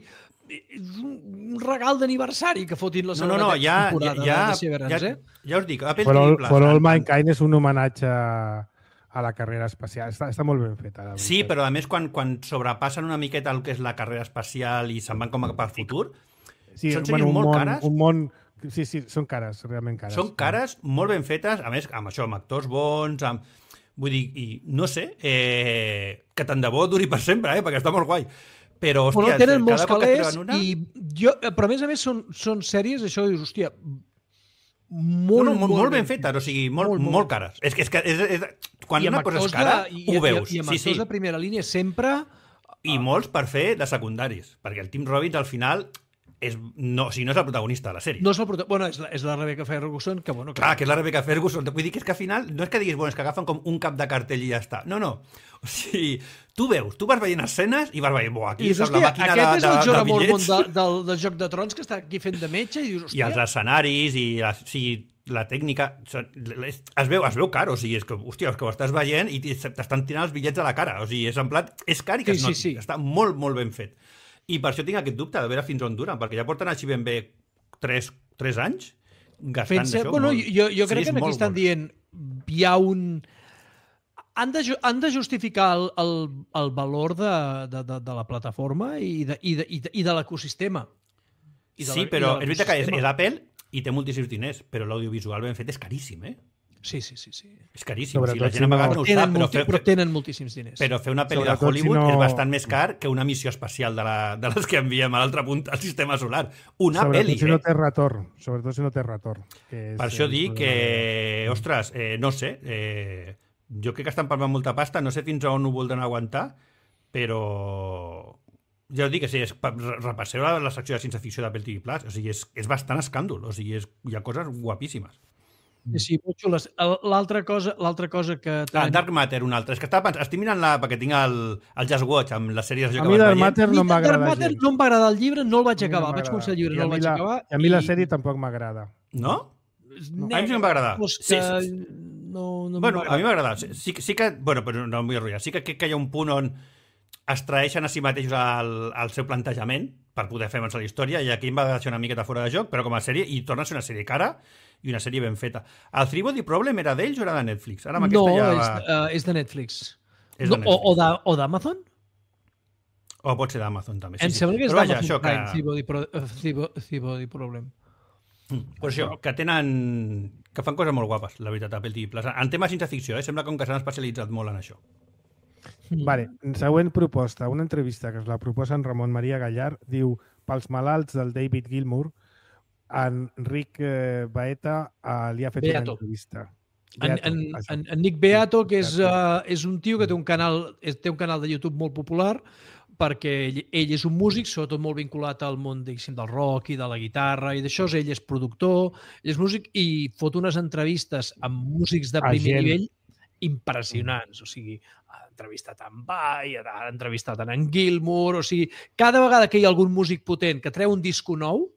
un regal d'aniversari que fotin la segona temporada de Severance. Ja us dic, Apple TV+. For All Mankind és un homenatge a la carrera espacial. Està molt ben feta. Sí, però a més quan sobrepassen una miqueta el que és la carrera espacial i se'n van com a per futur... Sí, són sèries molt cares. Sí, són cares, realment cares. Són cares, molt ben fetes, a més, amb això, amb actors bons, vull dir, i no sé, que tant de bo duri per sempre, perquè està molt guai. Però, hòstia, tenen molts calés però a més són sèries, això dius, hòstia, molt ben fetes, o sigui, molt cares. És que quan una cosa és cara, ho veus. I amb actors de primera línia sempre... I molts per fer de secundaris, perquè el Tim Robbins al final... no és el protagonista de la sèrie. No és el protagonista. Bueno, és la Rebecca Ferguson, que bueno... Clar, que és la Rebecca Ferguson. Vull dir que és que al final no és que diguis, bueno, és que agafen com un cap de cartell i ja està. No. O sigui, tu vas veient escenes i vas veient, aquí és la màquina de bitllets. Aquest és el Jorah Mormont del Joc de Trons, que està aquí fent de metge i dius, hòstia... I els escenaris i la tècnica... Es veu car, o sigui, és que, hòstia, és que ho estàs veient i t'estan tirant els bitllets a la cara. O sigui, és en plat... És car i que es noti. Sí. Està molt, molt ben fet. I per això tinc aquest dubte de veure fins on duren, perquè ja porten així ben bé 3 anys gastant això. Bueno, jo crec que aquí estan dient hi ha un... Han de justificar el valor de la plataforma i de l'ecosistema. Sí, però és veritat que és Apple i té moltíssims diners, però l'audiovisual ben fet és caríssim, Sí. És caríssim. La gent a vegades no ho sap, però tenen moltíssims diners. Però fer una pel·li de Hollywood és bastant més car que una missió espacial de les que enviem a l'altre punt al sistema solar. Una pel·li, si no té retorn. Sobretot si no té retorn. Per això dic que, ostres, no sé, jo crec que estan parlant molta pasta, no sé fins on ho voldran aguantar, però... Ja us dic que sí, repasseu la secció de ciència-ficció d'Apple TV+, o sigui, és bastant escàndol, o sigui, hi ha coses guapíssimes. Sí, molt xules. L'altra cosa que... Dark Matter, una altra. És que estic mirant-la perquè tinc el Just Watch amb les sèries que vas veient. A mi Dark Matter no m'agrada gens. Dark Matter no em va agradar el llibre, no el vaig acabar. Vaig començar el llibre, no el vaig acabar. I a mi la sèrie tampoc m'agrada. No? A mi sí que em va agradar. Sí. Bueno, a mi m'ha agradat. Sí que... Bueno, però no em vull arruïnar. Sí que crec que hi ha un punt on es traeixen a si mateixos el seu plantejament per poder fer avançar la història, i aquí em va deixar una miqueta fora de joc, però com a sèrie, i torna a ser una sèrie cara i una sèrie ben feta. El Three Body Problem era d'ells o era de Netflix? Ara no, és de Netflix. O d'Amazon? O pot ser d'Amazon, també. Em sembla que és d'Amazon Prime, Three Body Problem. Pues això, que fan coses molt guapes, la veritat, Apple TV+. En temes ciència-ficció, sembla com que s'han especialitzat molt en això. Vale, següent proposta. Una entrevista que es la proposa en Ramon Maria Gallard. Diu, pels malalts del David Gilmour, Enric Baeta li ha fet una entrevista. En Nick Beato, que és un tio que té un canal de YouTube molt popular, perquè ell és un músic, sobretot molt vinculat al món del rock i de la guitarra i d'això. Ell és productor, ell és músic i fot unes entrevistes amb músics de primer nivell impressionants. O sigui, ha entrevistat en Vai, ha entrevistat en Gilmour, o sigui, cada vegada que hi ha algun músic potent que treu un disco nou,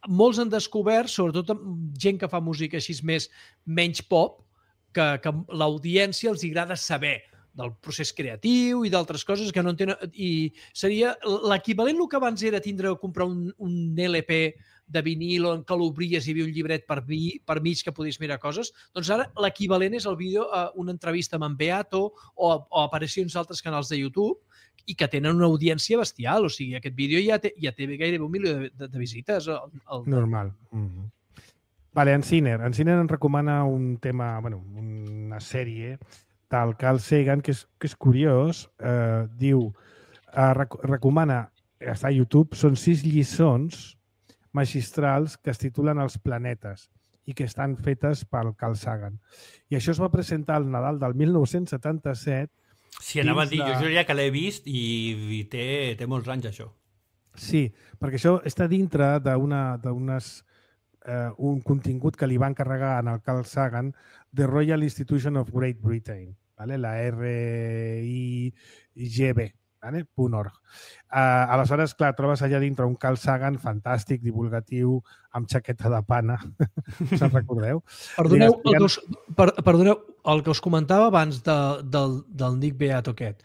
molts han descobert, sobretot gent que fa música així menys pop, que l'audiència els agrada saber del procés creatiu i d'altres coses que no entenen. I seria l'equivalent el que abans era comprar un LP de vinil on que l'obries i hi havia un llibret per mig que podies mirar coses, doncs ara l'equivalent és el vídeo, una entrevista amb en Beato o aparicions d'altres canals de YouTube i que tenen una audiència bestial. O sigui, aquest vídeo ja té gairebé 1 milió de visites. Normal. Vale, en Ciner ens recomana un tema, una sèrie del Carl Sagan, que és curiós. Diu, recomana, està a YouTube, són 6 lliçons magistrals que es titulen Els planetes i que estan fetes pel Carl Sagan. I això es va presentar al Nadal del 1977. Sí, anava a dir, jo diria que l'he vist i té molts anys, això. Sí, perquè això està dintre un contingut que li va encarregar al Carl Sagan The Royal Institution of Great Britain, ¿vale? La RIGB, ¿vale? .org. Aleshores, clar, trobes allà dintre un Carl Sagan fantàstic, divulgatiu, amb xaqueta de pana. Se'n recordeu? Perdoneu, el que us comentava abans del Nick Beato aquest.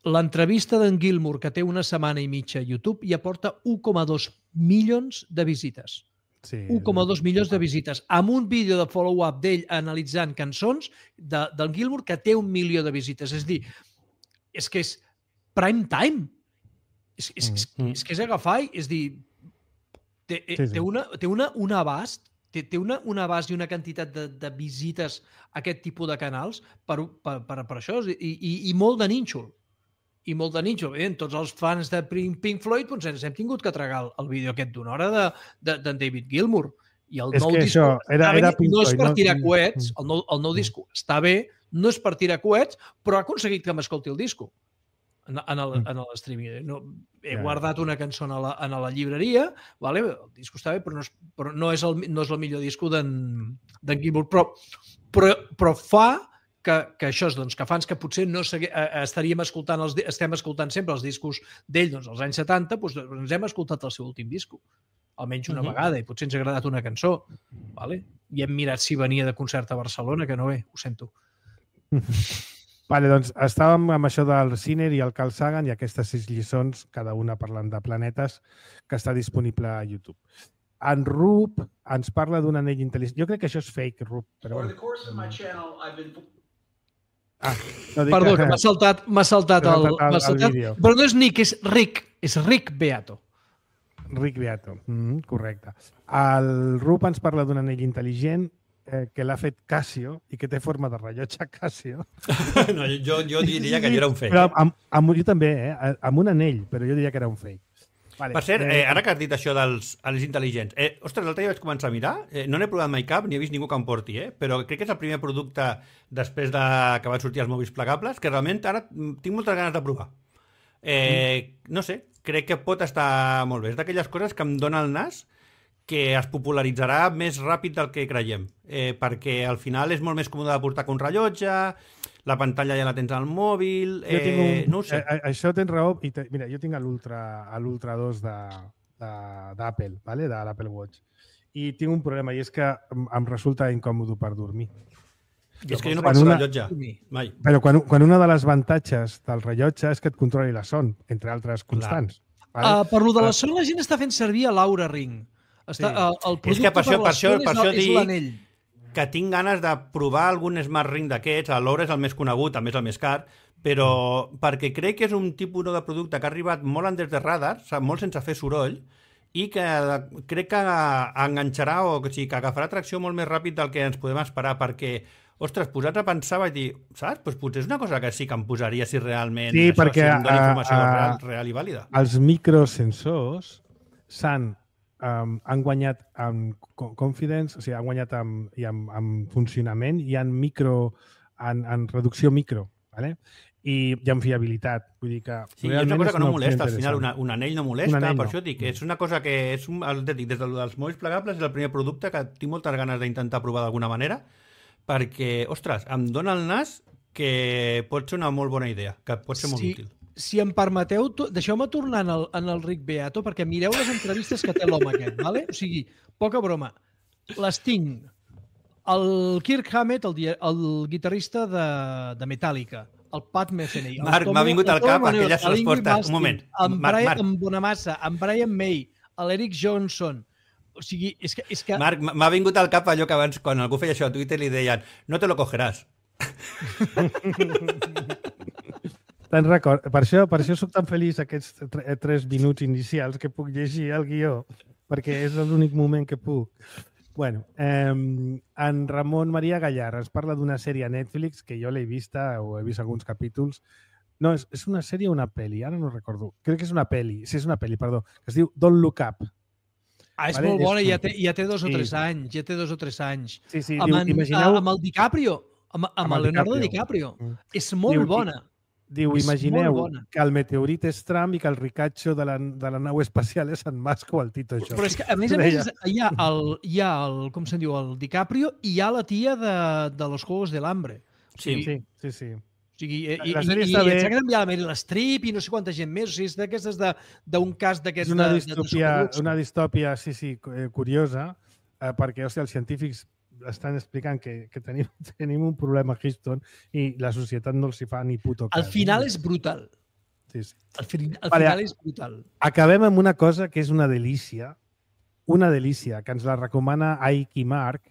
L'entrevista d'en Gilmour, que té 1 setmana i mitja a YouTube, ja porta 1,2 milions de visites. Sí, 1,2 milions de visites. Amb un vídeo de follow-up d'ell analitzant cançons del Gilmour que té 1 milió de visites. És dir, és que és prime time. És que és agafar, és dir, té un abast, té un abast i una quantitat de visites a aquest tipus de canals per això, i molt de nínxol. I molt de nínxol. Tots els fans de Pink Floyd ens hem tingut que tragar el vídeo aquest d'una hora d'en David Gilmour. I el nou disc no és per tirar coets, el nou disc està bé, no és per tirar coets, però ha aconseguit que m'escolti el disco en l'streaming. He guardat una cançó a la llibreria, el disco està bé, però no és el millor disco d'en Gilmour. Però fa que això és, que fans que potser no estem escoltant sempre els discos d'ell als anys 70, ens hem escoltat el seu últim disco, almenys una vegada, i potser ens ha agradat una cançó. I hem mirat si venia de concert a Barcelona, que no ve, ho sento. Vale, doncs estàvem amb això del Ciner i el Carl Sagan i aquestes 6 lliçons, cada una parlant de planetes, que està disponible a YouTube. En Rup ens parla d'un anell intel·ligent. Jo crec que això és fake, Rup. Perdó, que m'ha saltat el vídeo. Però no és Nick, és Rick Beato. Rick Beato, correcte. El Rup ens parla d'un anell intel·ligent que l'ha fet Casio i que té forma de rellotge Casio. No, jo diria que allò era un fake. Però jo també, amb un anell, però jo diria que era un fake. Vale. Per cert, ara que has dit això dels anells intel·ligents, ostres, l'altre dia vaig començar a mirar, no n'he provat mai cap, ni he vist ningú que em porti, però crec que és el primer producte després que van sortir els mòbils plegables, que realment ara tinc moltes ganes de provar. No sé, crec que pot estar molt bé. És d'aquelles coses que em dona el nas que es popularitzarà més ràpid del que creiem, perquè al final és molt més còmode de portar que un rellotge, la pantalla ja la tens al mòbil, no ho sé. Això tens raó, i mira, jo tinc l'Ultra 2 d'Apple, de l'Apple Watch, i tinc un problema, i és que em resulta incòmode per dormir. És que jo no passo el rellotge, mai. Però quan una de les avantatges del rellotge és que et controli la son, entre altres constants. Per lo de la son, la gent està fent servir l'Oura Ring. Sí. És que per això dic que tinc ganes de provar algun Smart Ring d'aquests. L'Oura és el més conegut, també és el més car, però perquè crec que és un tipus de producte que ha arribat molt under the radar, molt sense fer soroll, i que crec que enganxarà o sigui, que agafarà atracció molt més ràpid del que ens podem esperar, perquè, ostres, posats a pensar vaig dir, saps? Doncs potser és una cosa que sí que em posaria si realment sí, això, perquè, si em dona informació real i vàlida. Els microsensors han guanyat amb confidence, o sigui, han guanyat amb funcionament i en reducció micro, ¿vale? I en fiabilitat. Vull dir que sí, és una cosa que no molesta, al final un anell no molesta, per això dic que és una cosa que és des dels mòbils plegables és el primer producte que tinc moltes ganes d'intentar provar d'alguna manera, perquè, ostres, em dona el nas que pot ser una molt bona idea, que pot ser molt útil. Si em permeteu, deixeu-me tornar en el Rick Beato, perquè mireu les entrevistes que té l'home aquest, ¿vale? O sigui, poca broma. Les tinc. El Kirk Hammett, el guitarrista de Metallica, el Pat Metheny... Marc, m'ha vingut al cap aquelles respostes. Un moment. En Brian Bonamassa, en Brian May, l'Eric Johnson... O sigui, és que... Marc, m'ha vingut al cap allò que abans, quan algú feia això a Twitter, li deien no te lo cogeràs. Te'n record. Per això soc tan feliç aquests 3 minuts inicials que puc llegir el guió, perquè és l'únic moment que puc. Bueno, en Ramon Maria Gallar ens parla d'una sèrie a Netflix que jo l'he vista o he vist alguns capítols. No, és una sèrie o una pel·li? Ara no recordo. Crec que és una pel·li. Sí, és una pel·li, perdó. Que es diu Don't Look Up. És vale? Molt bona, ja té 2 o 3 anys. Ja té 2 o 3 anys. Sí, sí. Imagineu... Amb el DiCaprio. Amb el Leonardo DiCaprio. És molt bona. Diu, imagineu que el meteorit és Trump i que el ricatxo de la nau espacial és en Musk o el Tito Jones. Però és que, a més, hi ha el com se'n diu, el DiCaprio i hi ha la tia de Los Juegos del Hambre. Sí. O sigui, i s'ha canviat la Meryl Streep i no sé quanta gent més. O sigui, és d'aquestes d'un cas d'aquests... És una distòpia, sí, curiosa, perquè, hòstia, els científics estan explicant que tenim un problema a Houston i la societat no els hi fa ni puto cas. Al final és brutal. Sí. Al final és brutal. Acabem amb una cosa que és una delícia, que ens la recomana Aiki Mark,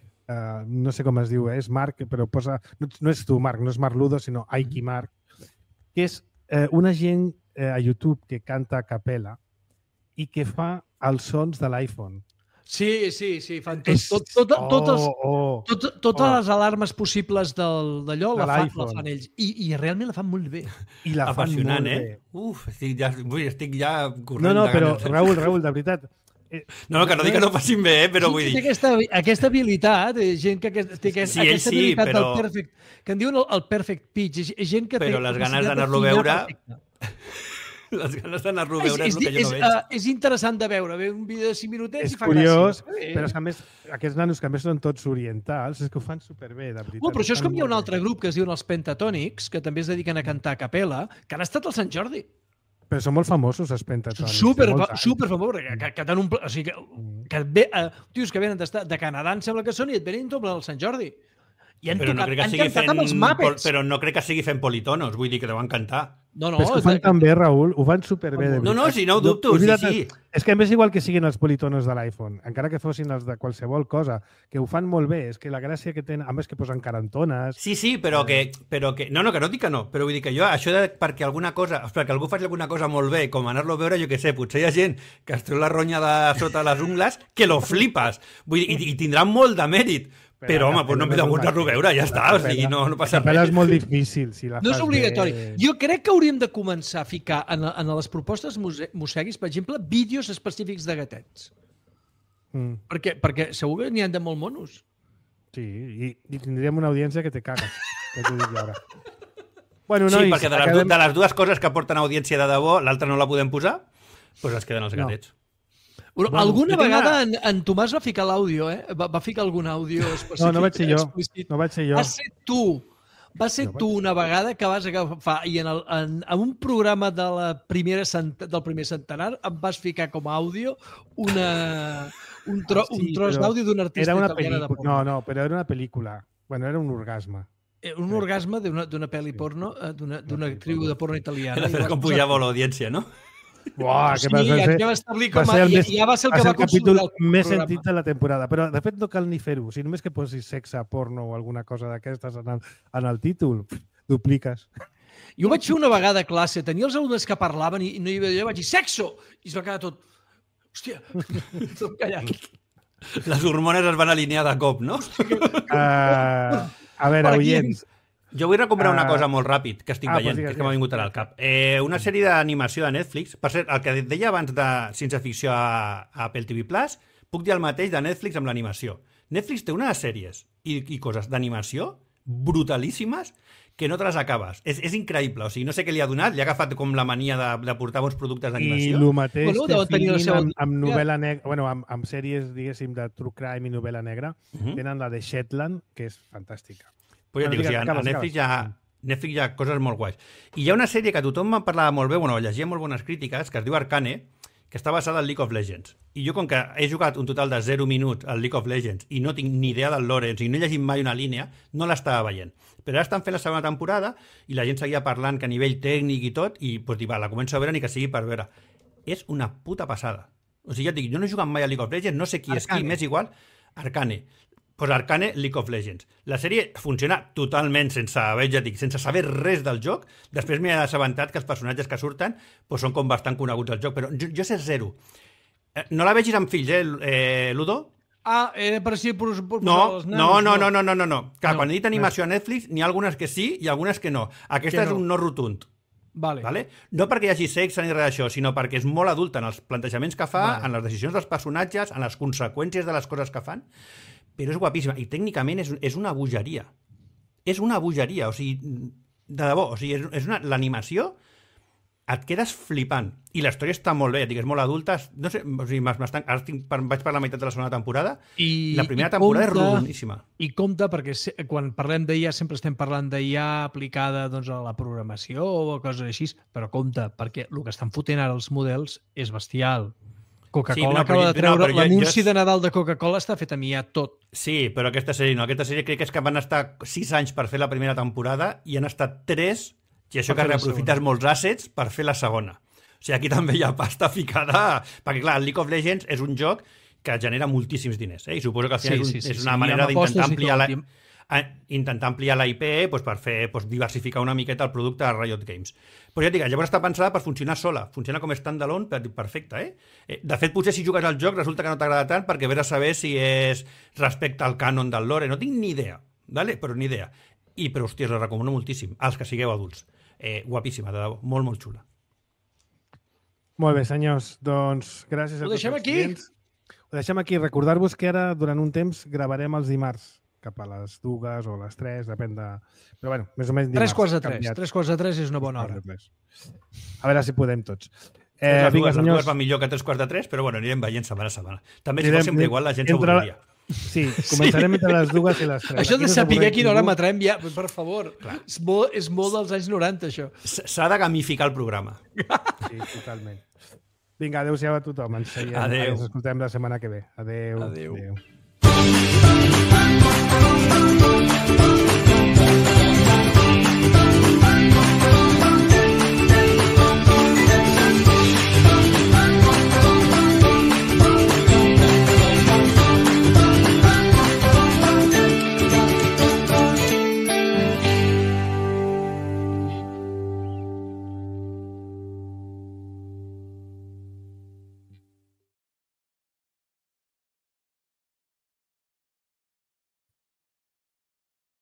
no sé com es diu, és Marc, però posa... No és tu, Marc, no és Marc Ludo, sinó Aiki Mark, que és una gent a YouTube que canta a capella i que fa els sons de l'iPhone. Sí, fan totes les alarmes possibles d'allò la fan ells. I realment la fan molt bé. I la fan molt bé. Estic ja corrent. No, però Raül, de veritat... No, que no dic que no facin bé, però vull dir... Aquesta habilitat, gent que té aquesta habilitat del perfect... Que en diuen el perfect pitch. Gent que però les ganes d'anar-lo a veure... Les ganes d'anar-lo a veure és el que jo no veig. És interessant de veure un vídeo de 5 minutets i fa curiós, gràcia. Però és que a més, aquests nanos que a més són tots orientals, és que ho fan superbé, de veritat. Però això és com hi ha un altre grup que es diuen els Pentatònics, que també es dediquen a cantar a capella, que han estat al Sant Jordi. Però són molt famosos, els Pentatònics. Superfamosos, que tenen un... O sigui, tios que venen de Canadà, em sembla que són, i et venen tot al Sant Jordi. I han cantat amb els Muppets. Però no crec que sigui fent politonos, vull dir que deuen cantar. No, és que ho fan tan bé, Raül, ho fan superbé. No, si no ho dubto, sí. És que a més igual que siguin els politonos de l'iPhone, encara que fossin els de qualsevol cosa, que ho fan molt bé, és que la gràcia que tenen, a més que posen carantones... Sí, però que... No, que no dic que no, però vull dir que jo, això perquè alguna cosa, perquè algú faci alguna cosa molt bé, com anar-lo a veure, jo què sé, potser hi ha gent que es treu la ronya de sota les ungles, que lo flipes, vull dir, i tindrà molt de mèrit, però, home, no m'he degut a veure, ja està, o sigui, no passa res. És molt difícil, si la fas bé. No és obligatori. Jo crec que hauríem de començar a ficar en les propostes musseguis, per exemple, vídeos específics de gatets. Perquè segur que n'hi ha de molt monos. Sí, i tindríem una audiència que te cagues, que t'ho dic ara. Bueno, nois, sí, perquè de les dues coses que aporten audiència de debò, l'altra no la podem posar, doncs es queden els gatets. Alguna vegada en Tomàs va ficar l'àudio, va ficar algun àudio específic. No vaig ser jo. Va ser tu una vegada que vas agafar i en un programa del primer centenar em vas ficar com a àudio un tros d'àudio d'un artista italiana de porno. No, però era una pel·lícula. Bueno, era un orgasme. Un orgasme d'una pel·li porno, d'una actriu de porno italiana. Era com pujava l'audiència, no? Uah, sí, ja va establir com ja va ser el que va consolidar el més sentit de la temporada. Però, de fet, no cal ni fer-ho. Si només que posis sexe, porno o alguna cosa d'aquestes en el títol, dupliques. Jo vaig fer una vegada a classe, tenia els alumnes que parlaven i no hi havia... Jo vaig dir, sexo! I es va quedar tot... Hòstia, tot callat. Les hormones es van alinear de cop, no? A veure, oients... Jo vull recomanar una cosa molt ràpid que estic veient, que m'ha vingut ara al cap. Una sèrie d'animació de Netflix. Per cert, el que deia abans de ciència-ficció a Apple TV+, puc dir el mateix de Netflix amb l'animació. Netflix té unes sèries i coses d'animació brutalíssimes que no te les acabes. És increïble. O sigui, no sé què li ha donat. Li ha agafat com la mania de portar bons productes d'animació. I el mateix té feeling amb novel·la negra, bueno, amb sèries, diguéssim, de true crime i novel·la negra. Tenen la de Shetland, que és fantàstica. Pues ja dic, a Netflix hi ha coses molt guais. I hi ha una sèrie que tothom me'n parlava molt bé, llegia molt bones crítiques, que es diu Arcane, que està basada en League of Legends. I jo, com que he jugat un total de 0 minuts al League of Legends i no tinc ni idea del lore, i no he llegit mai una línia, no l'estava veient. Però ara estan fent la segona temporada i la gent seguia parlant que a nivell tècnic i tot, i pues, la començo a veure ni que sigui per veure. És una puta passada. O sigui, ja et dic, jo no he jugat mai a League of Legends, no sé qui és qui, m'és igual. Arcane. Pues Arcane League of Legends. La sèrie funciona totalment sense saber res del joc. Després m'he assabentat que els personatges que surten pues, són com bastant coneguts al joc, però jo sé zero. No la vegis amb fills, Ludo? Era per si per no. Clar, quan he dit animació a Netflix, n'hi ha algunes que sí i algunes que no. Aquesta és un no rotund. Vale. No perquè hi hagi sexe ni res d'això, sinó perquè és molt adulta en els plantejaments que fa, en les decisions dels personatges, en les conseqüències de les coses que fan, però és guapíssima. I tècnicament és una bogeria. És una bogeria, o sigui, de debò, o sigui, l'animació et quedes flipant. I la història està molt bé, és molt adulta. No sé, o sigui, vaig per la meitat de la segona temporada. La primera temporada és rodoníssima. I compte, perquè quan parlem d'IA sempre estem parlant d'IA aplicada doncs, a la programació o coses així, però compte, perquè el que estan fotent ara els models és bestial. Coca-Cola acaba de treure... L'anunci de Nadal de Coca-Cola està fet amb IA tot. Sí, però aquesta sèrie no. Aquesta sèrie crec que és que van estar 6 anys per fer la primera temporada i han estat 3... I això que reaprofites molts assets per fer la segona. O sigui, aquí també hi ha pasta ficada... Perquè, clar, el League of Legends és un joc que genera moltíssims diners. I suposo que al final és una manera d'intentar ampliar la IP doncs, per fer diversificar una miqueta el producte de Riot Games. Però ja et dic, llavors està pensada per funcionar sola. Funciona com standalone, perfecte. De fet, potser si jugues al joc resulta que no t'agrada tant perquè vés a saber si és respecte al cànon del lore. No tinc ni idea, però ni idea. Però, hòstia, la recomano moltíssim, als que sigueu adults. Guapíssima, de debò, molt, molt xula. Molt bé, senyors. Doncs gràcies a tots els clients. Ho deixem aquí. Recordar-vos que ara, durant un temps, gravarem els dimarts, cap a les 2 o les 3, depèn de... Però, bueno, més o menys dimarts. 3 quarts de 3 és una bona hora. A veure si podem tots. Les dues va millor que 3 quarts de 3, però bueno, anirem veient setmana a setmana. També si fos sempre igual, la gent s'avorriria. Sí, començarem entre les 2 i les 3. Això de saber quina hora matrem ja, per favor. És molt dels anys 90, això. S'ha de gamificar el programa. Sí, totalment. Vinga, adéu-siau a tothom. Ens escoltem la setmana que ve. Adéu. Adéu.